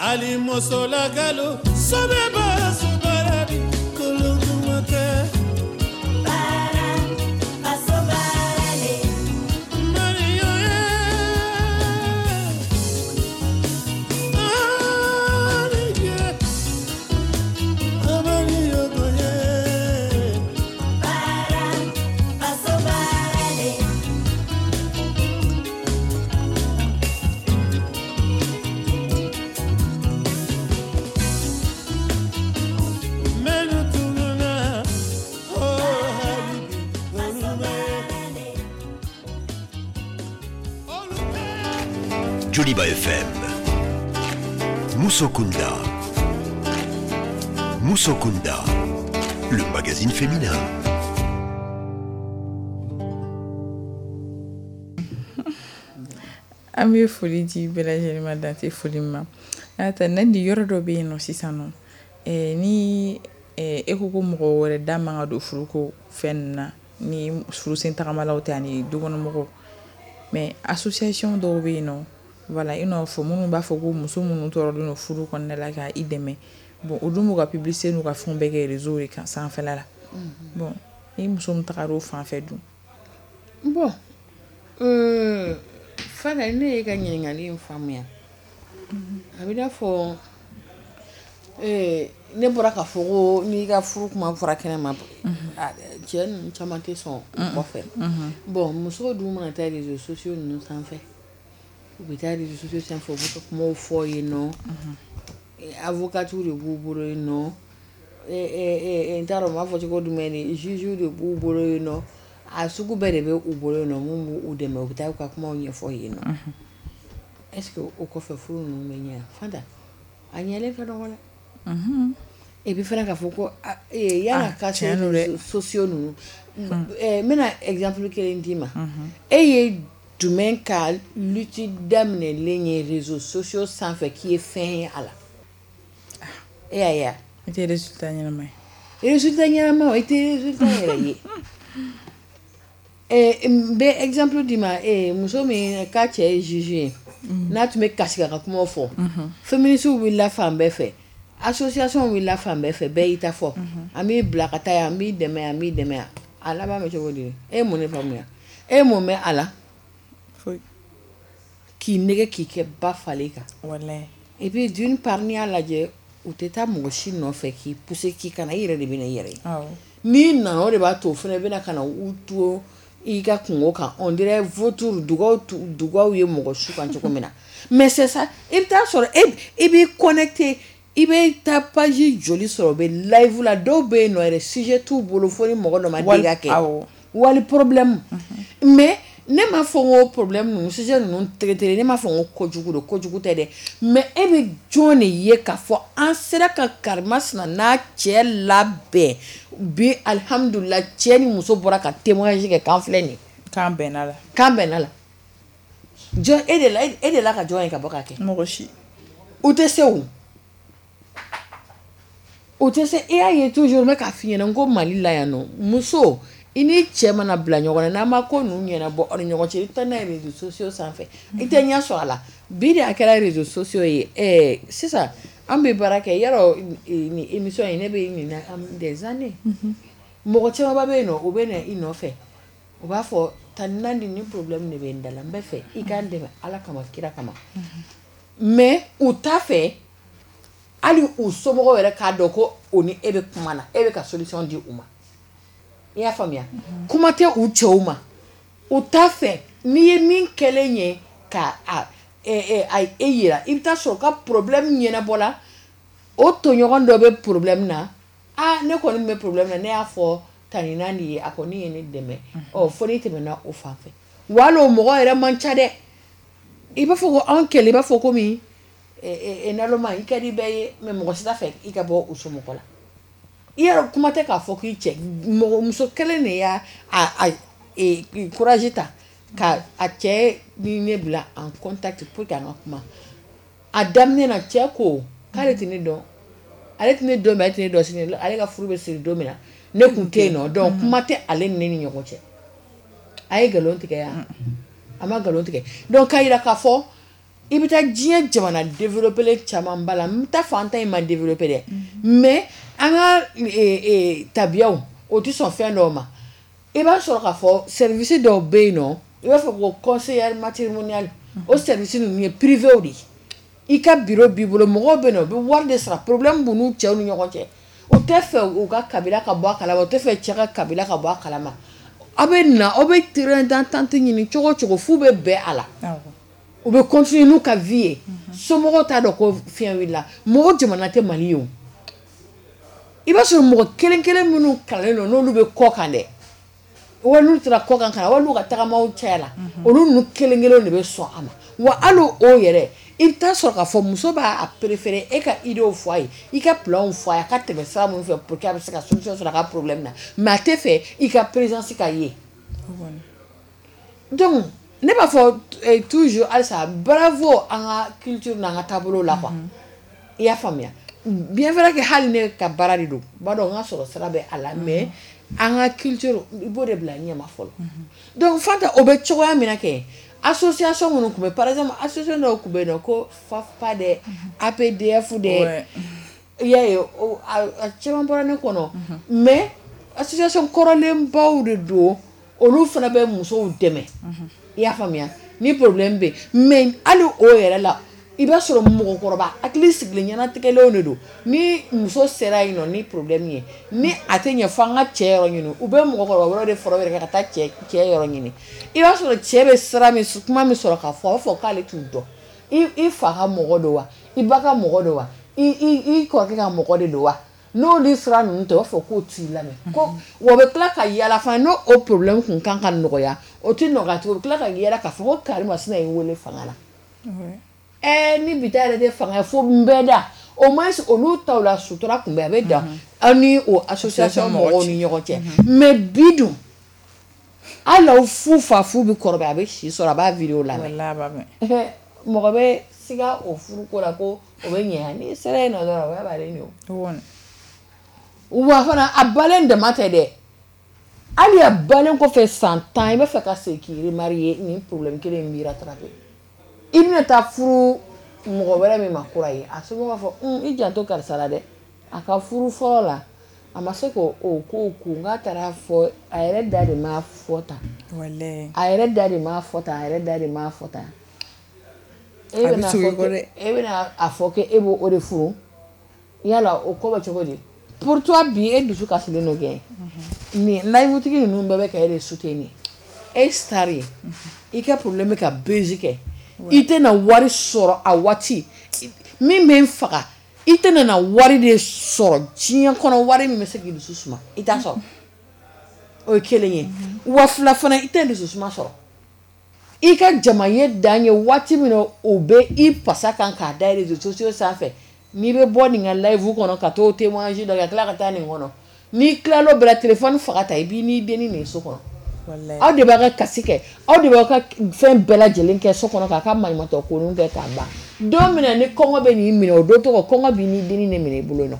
Ali musola galo sobe ba sobarabi kolongumate bara asobarale Mario Mario goye bara asobarale. Joliba F M, Musokunda. Musokunda, le magazine féminin. An bɛ foli di bɛɛ lajɛlen ma, dan tɛ foli min ma. Ta Nandi, yɔrɔ dɔ bɛ yen nɔ sisan nɔ, ni e ko ko mɔgɔ wɛrɛ da man ka don furuko fɛn ninnu na, ni furusen tagamalaw tɛ ani dukɔnɔmɔgɔw, mais association dɔw bɛ yen nɔ, voilà, i n'a fɔ minnu b'a fɔ ko muso minnu tɔɔrɔlen don furu kɔnɔna la ka i dɛmɛ. Bon, olu b'u ka publicité n'u ka fɛnw bɛɛ kɛ réseau de kan sanfɛla la. Bon, ni muso min tagara o fan fɛ dun? Bon, euh, Fana, ne ye ka ɲininkali in faamuya. A bɛ n'a fɔ ne bɔra k'a fɔ ko n'i ka furu kuma fɔra kɛnɛ ma, cɛ ninnu caman tɛ sɔn o kɔfɛ. Bon, musow dun mana taa réseaux sociaux ninnu sanfɛ, u bɛ taa réseaux sociaux sanfɛ, u b'u ka kumaw fɔ yen nɔ, avocats de b'u bolo yen nɔ, n t'a dɔn n b'a fɔ cogo jumɛn de, juges de b'u bolo yen nɔ, a sugu bɛɛ de bɛ u bolo yen nɔ mun b'u dɛmɛ, u bɛ taa u ka kumaw ɲɛfɔ yen nɔ. Est-ce que o kɔfɛ furu ninnu bɛ ɲɛ? Fanta, a ɲɛlen ka dɔgɔ dɛ. Et puis fana k'a fɔ ko yan'a ka se réseaux sociaux ninnu, n bɛna exemple kelen d'i ma. E ye jumɛn ka lutte daminɛlen ye réseaux sociaux sanfɛ k'i ye fɛn ye a la? E y'a ye wa? I tɛ résultat ɲɛnama ye. Résultat ɲɛnama, i tɛ résultat yɛrɛ ye. N bɛ exemple d'i ma, muso min k'a cɛ ye juge ye, n'a tun bɛ kasi k'a ka kumaw fɔ, féministes wulila fan bɛɛ fɛ, association wulila fan bɛɛ fɛ, bɛɛ y'i ta fɔ, an b'i bila ka taa yan, an b'i dɛmɛ yan, an b'i dɛmɛ yan. A laban bɛ cogo di? E ye mun de faamuya? E ye mun mɛn a la? Foyi. K'i nɛgɛ k'i kɛ ba falen kan. Walayi. Et puis d'une part, n'i y'a lajɛ, u tɛ taa mɔgɔ si nɔfɛ k'i pousser k'i kana, i yɛrɛ de bɛ na i yɛrɛ ye. N'i nana, o de b'a to o fana bɛna ka na u to i ka kungo kan, on dirait vautour, dugaw dugaw ye mɔgɔ su kan cogo min na. Mais c'est ça, i bɛ taa sɔrɔ e i b'i connecté, i bɛ taa page joli sɔrɔ, u bɛ live la, dɔw bɛ yen nɔ yɛrɛ sujet t'u bolo fo ni mɔgɔ dɔ ma dégâts kɛ. Wali problème. Mais ne m'a fɔ n ko problème ninnu, sujet ninnu traité, ne m'a fɔ n ko kojugu don, kojugu tɛ dɛ. Mais e bɛ jɔn de ye k'a fɔ an sera ka karimasina n'a cɛ labɛn bi, alihamudulila, cɛ ni muso bɔra ka témoignage kɛ k'an filɛ nin ye. K'an bɛnna la. K'an bɛnna la. Jɔn e de la e de la ka jɔn ye ka bɔ k'a kɛ? Mɔgɔ si. U tɛ se o. U tɛ se. E y'a ye toujours n bɛ k'a f'i ɲɛna n ko Mali la yan nɔ, muso i ni cɛ mana bila ɲɔgɔn na, n'a ma ko ninnu ɲɛnabɔ aw ni ɲɔgɔn cɛ, i bɛ taa n'a ye réseaux sociaux sanfɛ, i tɛ ɲɛ sɔrɔ a la. Bi de a kɛra réseaux sociaux ye. Ɛɛ sisan an bɛ baara kɛ yarɔ, nin émission in ne bɛ nin na des années. Mɔgɔ camanba bɛ yen nɔ, u bɛ na i nɔfɛ, u b'a fɔ tan Nandi, ni problème de bɛ n da la, n bɛ fɛ i k'an dɛmɛ Ala kama kira kama. Mais u t'a fɛ hali u somɔgɔw yɛrɛ k'a dɔn ko o ni e bɛ kuma na, e bɛ ka solution di u ma. I y'a faamuya? Kuma tɛ u cɛw ma, u t'a fɛ n'i ye min kɛlen ye ka a a e yira, i bɛ taa sɔrɔ ka problème ɲɛnabɔ la, o tɔɲɔgɔn dɔ bɛ problème na, aa ne kɔni bɛ problème na, ne y'a fɔ tani Nandi ye, a kɔni ye ne dɛmɛ, ɔ fo n'i tɛmɛna o fan fɛ. Wa hali o mɔgɔ yɛrɛ man ca dɛ. I b'a fɔ ko anw kɛlɛ, i b'a fɔ komi naloma, i ka di bɛɛ ye, mais mɔgɔ si t'a fɛ i ka bɔ u somɔgɔ la. I yɛrɛ kuma tɛ k'a fɔ k'i cɛ mɔgɔ muso kelen de y'a a a courage ta ka a cɛ ni ne bila en contact pour que an ka kuma. A daminɛ na cɛ ko k'ale tɛ ne dɔn, ale tɛ ne dɔn, mais ale tɛ ne dɔn sini, ale ka furu bɛ siri don min na ne kun tɛ yen nɔ, donc kuma tɛ ale ni ne ni ɲɔgɔn cɛ. A ye nkalon tigɛ yan, a ma nkalon tigɛ. Donc k'a yira k'a fɔ i bɛ taa diɲɛ jamana développé caman ba la, n t'a fɔ an ta in ma développé dɛ, mais an ka tabiyaw o tɛ sɔn fɛn dɔw ma. I b'a sɔrɔ k'a fɔ service dɔw bɛ yen nɔ, i b'a fɔ ko conseiller matrimonial, o service ninnu ye privé de ye. I ka bureau b'i bolo, mɔgɔw bɛ yen nɔ, u bɛ wari de sara, problème b'u n'u cɛw ni ɲɔgɔn cɛ, u tɛ fɛ u ka kabila ka bɔ a kalama, u tɛ fɛ cɛ ka kabila ka bɔ a kalama. Aw bɛ na, aw bɛ terrain d'entente ɲini cogo o cogo f'u bɛ bɛn a la. U bɛ continuer n'u ka vie ye. Somɔgɔw t'a dɔn ko fiɲɛ wulila. Mɔgɔ jamana tɛ Mali ye o. I b'a sɔrɔ mɔgɔ kelen kelen minnu kalannen don n'olu bɛ kɔ kan dɛ, wali n'u taara kɔ kan ka na, wali n'u ka tagamaw caya la, olu ninnu kelen kelen de bɛ sɔn a ma. Wa hali o yɛrɛ, i bɛ taa sɔrɔ k'a fɔ muso b'a préférer e ka idéew fɔ a ye, i ka planw fɔ a ye, a ka tɛmɛ sira minnu fɛ pour que a bɛ se ka solution sɔrɔ a ka problème na, mais a tɛ fɛ i ka présence ka ye. Donc Ne b'a fɔ toujours halisa bravo an ka culture n'an ka taabolo la quoi. I y'a faamuya. Bien vrai que hali ne ka baara de don, b'a dɔn n ka sɔrɔ sira bɛ a la, mais an ka culture i b'o de bila ɲɛma fɔlɔ. Donc Fanta o bɛ cogoya min na kɛ, association minnu tun bɛ, par exemple association dɔw tun bɛ yen nɔ ko FAFPA dɛ, A P D F dɛ, i y'a ye a caman bɔra ne kɔnɔ, mais association kɔrɔlenbaw de don, olu fana bɛ musow dɛmɛ. I y'a faamuya, ni problème bɛ yen, mais hali o yɛrɛ la i b'a sɔrɔ mɔgɔkɔrɔba hakili sigilen ɲɛnatigɛlenw de don. Ni muso sera yen nɔ ni problème ye, ni a tɛ ɲɛ fo an ka cɛ yɔrɔ ɲini, u bɛ mɔgɔkɔrɔba wɛrɛw de fara u yɛrɛ kan ka taa cɛ cɛ yɔrɔ ɲini. I b'a sɔrɔ cɛ bɛ sira min kuma min sɔrɔ k'a fɔ, a b'a fɔ k'ale t'u dɔn. I i fa ka mɔgɔ don wa, i ba ka mɔgɔ don wa, i i i kɔrɔkɛ ka mɔgɔ de don wa. N'olu sira ninnu tɛ, u b'a fɔ k'o t'i lamɛn. Ko wa bɛ tila ka yala fana, n'o o problème kun kan ka nɔgɔya, o tɛ nɔgɔya tugun, u bɛ tila ka yala k'a fɔ ko karimasina ye wele fanga la. Eh, ni bi ta yɛrɛ tɛ fanga ye fo n bɛɛ da, au moins olu taw la sutura kun bɛ a bɛ dan aw ni o association mɔgɔw ni ɲɔgɔn cɛ. Mais bi dun hali aw fu fa fu bɛ kɔrɔbaya, a bɛ si sɔrɔ, a b'a vidéo lamɛn. Mɔgɔ bɛ siga o furuko la ko o bɛ ɲɛ, n'i sera yen nɔ dɔrɔn o b'a balen de o. Wa fana a balen dama tɛ dɛ, hali a balen kɔfɛ san tan i bɛ fɛ ka segin k'i remarier, nin problème kelen in b'i rattraper. I bɛna taa furu mɔgɔ wɛrɛ min ma kura ye, a somɔgɔw b'a fɔ i janto karisa la dɛ, a ka furu fɔlɔ la a ma se k'o o ko kun, k'a taara fɔ a yɛrɛ da de m'a fɔ tan, a yɛrɛ da de m'a fɔ tan, a yɛrɛ da de m'a fɔ tan. E bɛna fɔ e bɛna a fɔ k'e b'o o de furu, yala o ko bɛ cogo di? Pour toi bi e dusu kasilen don kɛ, nin live tigi ninnu bɛɛ bɛ ka e de soutenir, e star ye, i ka problème bɛ ka buzz kɛ. I tɛna wari sɔrɔ a waati min bɛ n faga, i tɛna na wari de sɔrɔ diɲɛ kɔnɔ, wari min bɛ se k'i dusu suma i t'a sɔrɔ, o ye kelen ye. Wa fila fana, i tɛ dusu suma sɔrɔ. I ka jama ye dan ye waati min na o bɛ i pasa kan k'a da réseaux sociaux sanfɛ, n'i bɛ bɔ nin ka live kɔnɔ ka t'o témoignage dɔ kɛ ka tila ka taa nin kɔnɔ, n'i tilal'o bɛɛ la téléphone faga ta i b'i n'i dennin de ye so kɔnɔ. Aw de b'a ka kasi kɛ, aw de b'aw ka fɛn bɛɛ lajɛlen kɛ so kɔnɔ k'a ka maɲumantɔ ko kɛ k'a ban. Don min na ni kɔngɔ bɛ n'i minɛ, o don tɔgɔ kɔngɔ b'i n'i dennin de minɛ i bolo nɔ.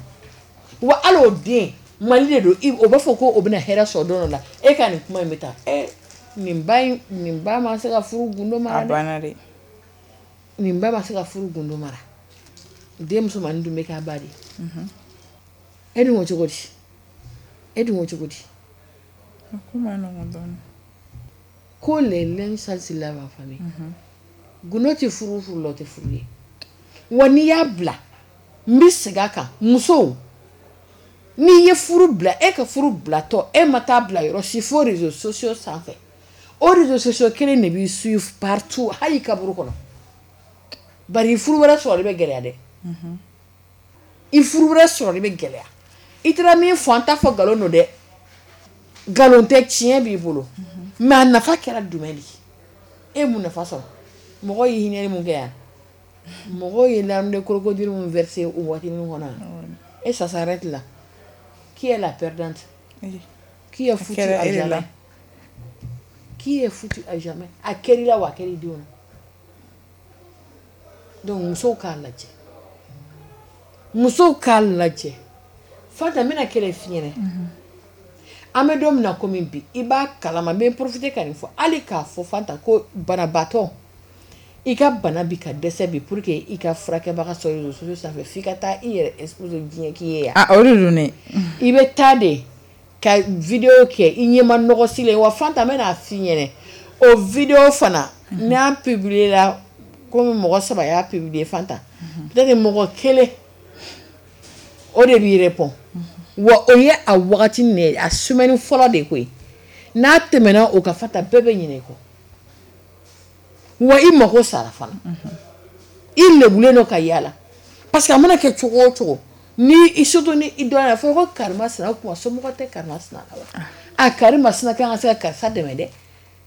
Wa hali o den Mali de don, o b'a fɔ ko o bɛna hɛrɛ sɔrɔ don dɔ la, e ka nin kuma in bɛ taa ɛ nin ba in, nin ba ma se ka furu gundo mara dɛ. A banna dɛ. Nin ba ma se ka furu gundo mara. Den musomannin dun bɛ k'a ba de. E dun ko cogo di? E dun ko cogo di? Ko ma nɔgɔn dɔɔnin. Ko les linges sales se lavent en famille. Gundo tɛ furu furu la, o tɛ furu ye. Wa n'i y'a bila, n bɛ segin a kan, musow, n'i ye furu bila, e ka furu bilatɔ, e ma taa bila yɔrɔ si fo réseaux sociaux sanfɛ. O réseaux sociaux kelen de b'i suivre partout, hali i kaburu kɔnɔ. Bari furu wɛrɛ sɔrɔli bɛ gɛlɛya dɛ. I furu wɛrɛ sɔrɔli bɛ gɛlɛya. I taara min fɔ, an t'a fɔ nkalon don dɛ. Nkalon tɛ, tiɲɛ b'i bolo. Mais a nafa kɛra jumɛn de ye? E mun nafa sɔrɔ? Mɔgɔw ye hinɛli mun kɛ yan? Mɔgɔw ye larmes de crocodile mun verser o waatinin kɔnɔ yan? Et ça s'arrête là. Qui est la perdante? Qui est foutu à jamais? Qui est foutu à jamais? A kɛr'i la wa a kɛr'i denw na. Donc musow k'a lajɛ. Musow k'a lajɛ. Fanta, n bɛna kelen f'i ɲɛna. An bɛ don min na komi bi, i b'a kalama, n bɛ profiter ka nin fɔ, hali k'a fɔ Fanta ko banabaatɔ, i ka bana bi ka dɛsɛ bi pour que i ka furakɛbaga sɔrɔ réseaux sociaux sanfɛ, f'i ka taa i yɛrɛ exposer diɲɛ k'i ye yan. Ah, o de don dɛ. I bɛ taa de ka vidéo kɛ i ɲɛma nɔgɔ silen, wa Fanta n bɛna f'i ɲɛna, o vidéo fana n'a publier la, komi mɔgɔ saba y'a publier Fanta, peut-être mɔgɔ kelen o de b'i répond. Wa o ye a wagati nin a semaine fɔlɔ de koyi, n'a tɛmɛna o kan Fanta bɛɛ bɛ ɲinɛ i kɔ. Wa i mako sara fana, i lebulen don ka yaala, parce que a mana kɛ cogo o cogo, ni i surtout ni i dɔnna fɔ ko karimasina, o tuma somɔgɔ tɛ karimasina la wa? A karimasina kan ka se ka karisa dɛmɛ dɛ,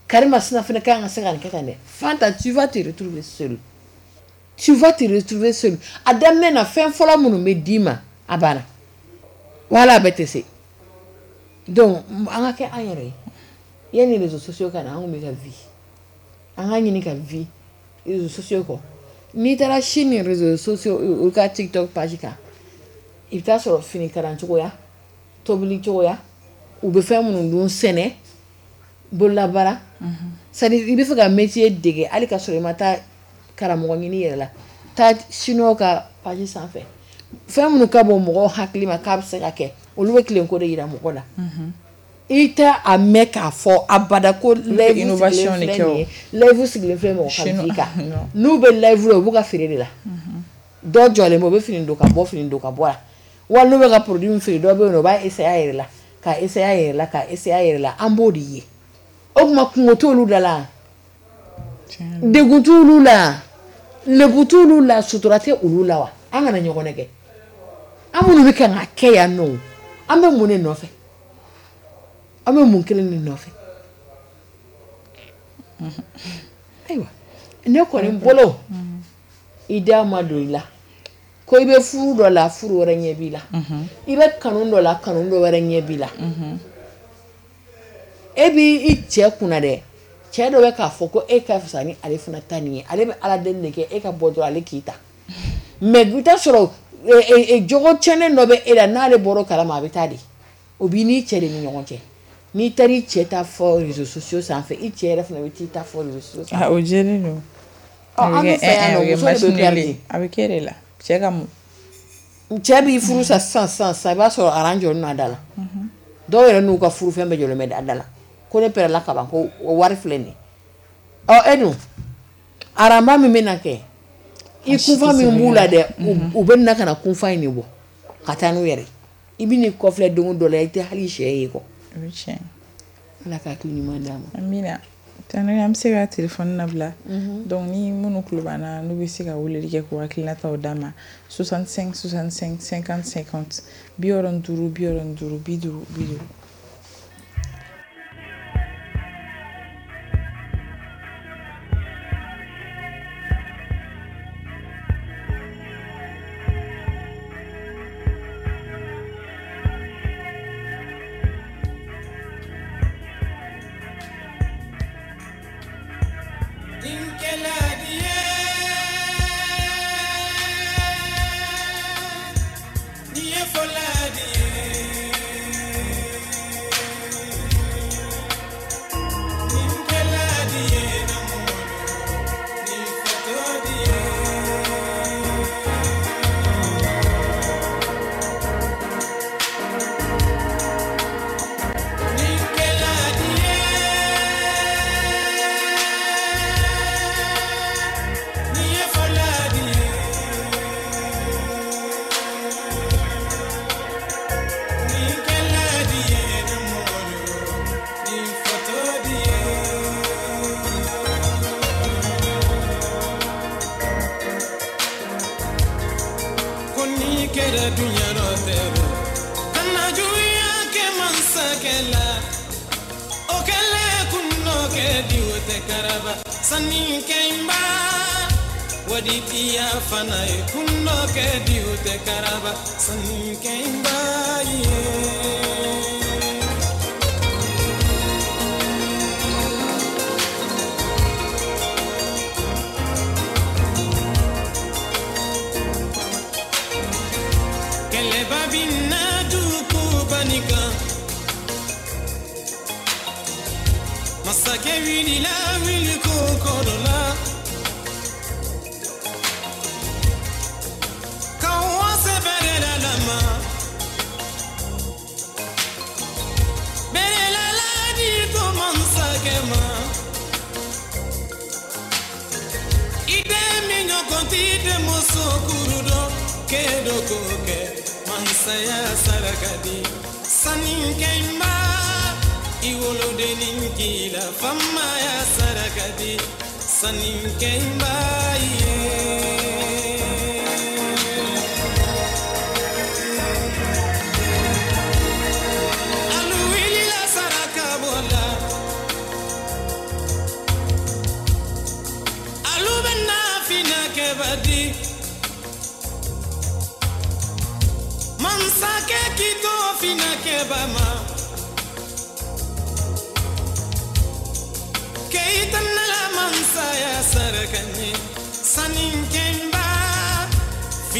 karimasina fana kan ka se ka nin kɛ tan dɛ. Fanta, tu vas te retrouver seul. Tu vas te retrouver seul. A daminɛ na fɛn fɔlɔ minnu bɛ d'i ma, a banna. Wala a bɛɛ tɛ se. Donc an ka kɛ an yɛrɛ ye. Yanni réseaux sociaux ka na, an kun bɛ ka vie. An ka ɲini ka vie réseaux sociaux kɔ. N'i taara Chine réseaux sociaux u ka TikTok page kan, i bɛ taa sɔrɔ fini kalan cogoya, tobili cogoya, u bɛ fɛn minnu dun, sɛnɛ, bololabaara. C'est à dire i bɛ fɛ ka métier dege hali ka sɔrɔ i ma taa karamɔgɔ ɲini yɛrɛ la, taa chinois ka page sanfɛ. Fɛn minnu ka bon mɔgɔw hakili ma k'a bɛ se ka kɛ, olu bɛ tilen ko de yira mɔgɔ la. I tɛ a mɛn k'a fɔ abada ko live sigilen filɛ nin ye, live sigilen filɛ mɔgɔ ka vie kan. N'u bɛ live la, u b'u ka feere de la. Dɔw jɔlen bɛ, u bɛ fini don ka bɔ, fini don ka bɔ la. Wali n'u bɛ ka produit min feere, dɔ bɛ yen nɔ, u b'a essayer a yɛrɛ la, k'a essayer a yɛrɛ la, k'a essayer a yɛrɛ la. An b'o de ye. O tuma kungo t'olu da la, degun t'olu la, lebu t'olu la, sutura tɛ olu la wa? An kana ɲɔgɔn nɛgɛ. An minnu bɛ kan ka kɛ yan nɔ, an bɛ mun de nɔfɛ? An bɛ mun kelen de nɔfɛ? Ayiwa, ne kɔni bolo, i da ma don i la ko i bɛ furu dɔ la, furu wɛrɛ ɲɛ b'i la. I bɛ kanu dɔ la, kanu dɔ wɛrɛ ɲɛ b'i la. E b'i cɛ kunna dɛ, cɛ dɔ bɛ k'a fɔ ko e ka fisa ni ale fana ta nin ye, ale bɛ ala deli de kɛ e ka bɔ dɔrɔn ale k'i ta. Mais i bɛ taa sɔrɔ jogo tiɲɛnen dɔ bɛ e la, n'ale bɔra o kalama a bɛ taa de. O b'i n'i cɛ de ni ɲɔgɔn cɛ. N'i taara i cɛ ta fɔ réseaux sociaux sanfɛ, i cɛ yɛrɛ fana bɛ t'i ta fɔ réseaux sociaux sanfɛ. O jɛlen don. An bɛ fɛ yan nɔ, muso de bɛ perdre. A bɛ kɛ de la. Cɛ ka mun? Cɛ b'i furu sa sisan sisan sisan, i b'a sɔrɔ aran jɔlen don a da la. Dɔw yɛrɛ n'u ka furufɛn bɛɛ jɔlen bɛ a da la. Ko ne pɛrɛla kaban, ko o wari filɛ nin ye. Ɔ e dun, aranba min bɛna kɛ, i kunfa min b'u la dɛ, u bɛ na ka na kunfa in de bɔ ka taa n'u yɛrɛ. I bɛ n'i kɔfilɛ don dɔ la, i tɛ hali sɛ ye kɔ. O ye tiɲɛ. Ala ka hakili ɲuman d'an ma. Amina. Tani an bɛ se ka téléphone labila. Donc ni minnu tulo b'an na, n'u bɛ se ka weleli kɛ k'u hakilinataw d'an ma, soixante-cinq soixante-cinq cinquante cinquante, bi wɔɔrɔ ni duuru bi wɔɔrɔ ni duuru bi duuru bi duuru.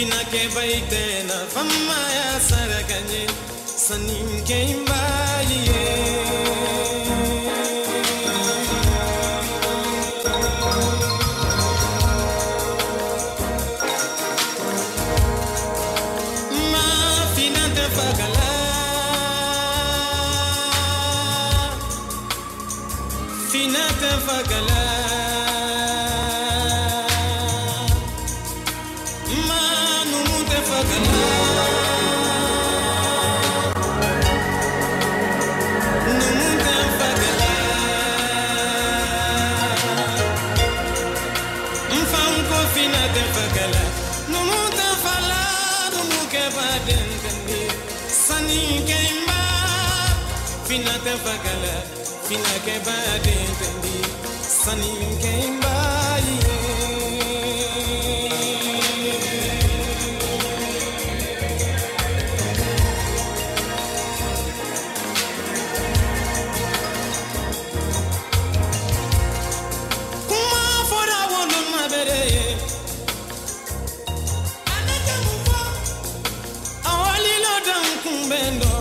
Fina ke baitena fama ya sarakanye sanin ke imbaye Ma fina te fagala Fina te fagala Fina te fagala, fina ke ba dentendi, sani ke imba ye. Kuma fora wolo mabere ye, anata mufo, awali lo dan kumbendo.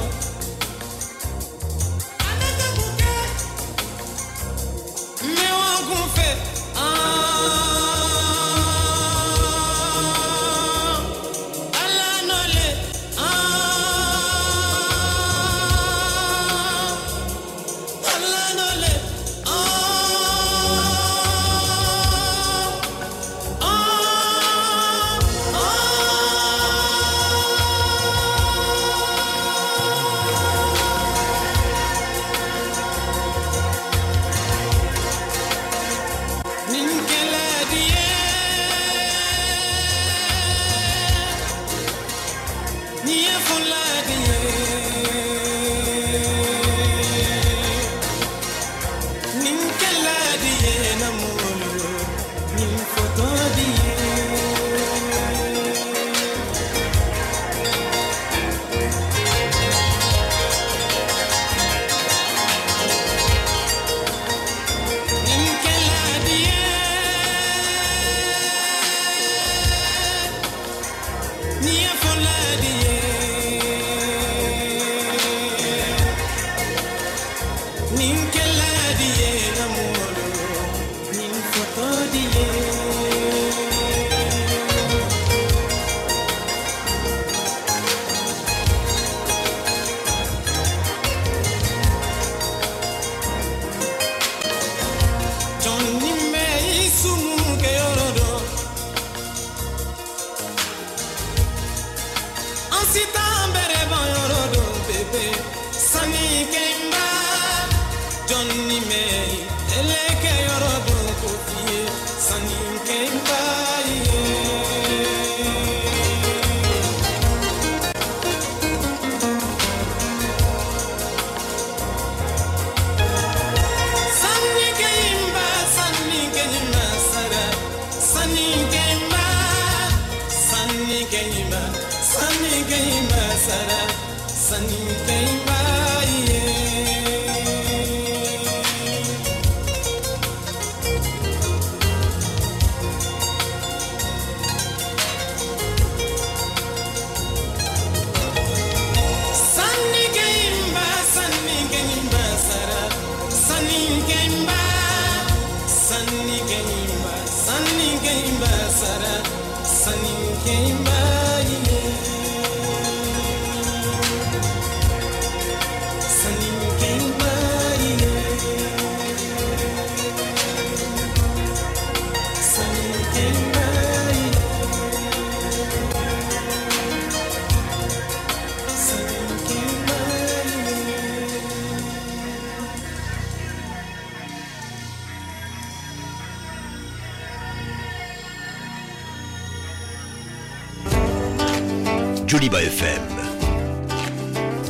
Joliba F M,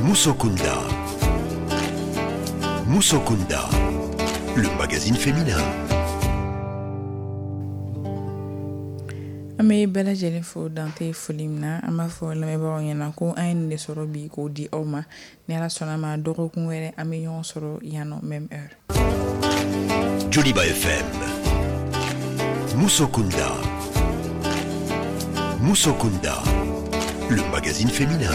Musokunda, Musokunda, le magazine féminin. An bɛ bɛɛ lajɛlen fo dante foli min na, an b'a fɔ lamɛnbagaw ɲɛna ko an ye nin de sɔrɔ bi k'o di aw ma. Ni Ala sɔnna ma, dɔgɔkun wɛrɛ an bɛ ɲɔgɔn sɔrɔ yan nɔ même heure. Joliba F M, Musokunda, Muso Kunda, le magazine féminin.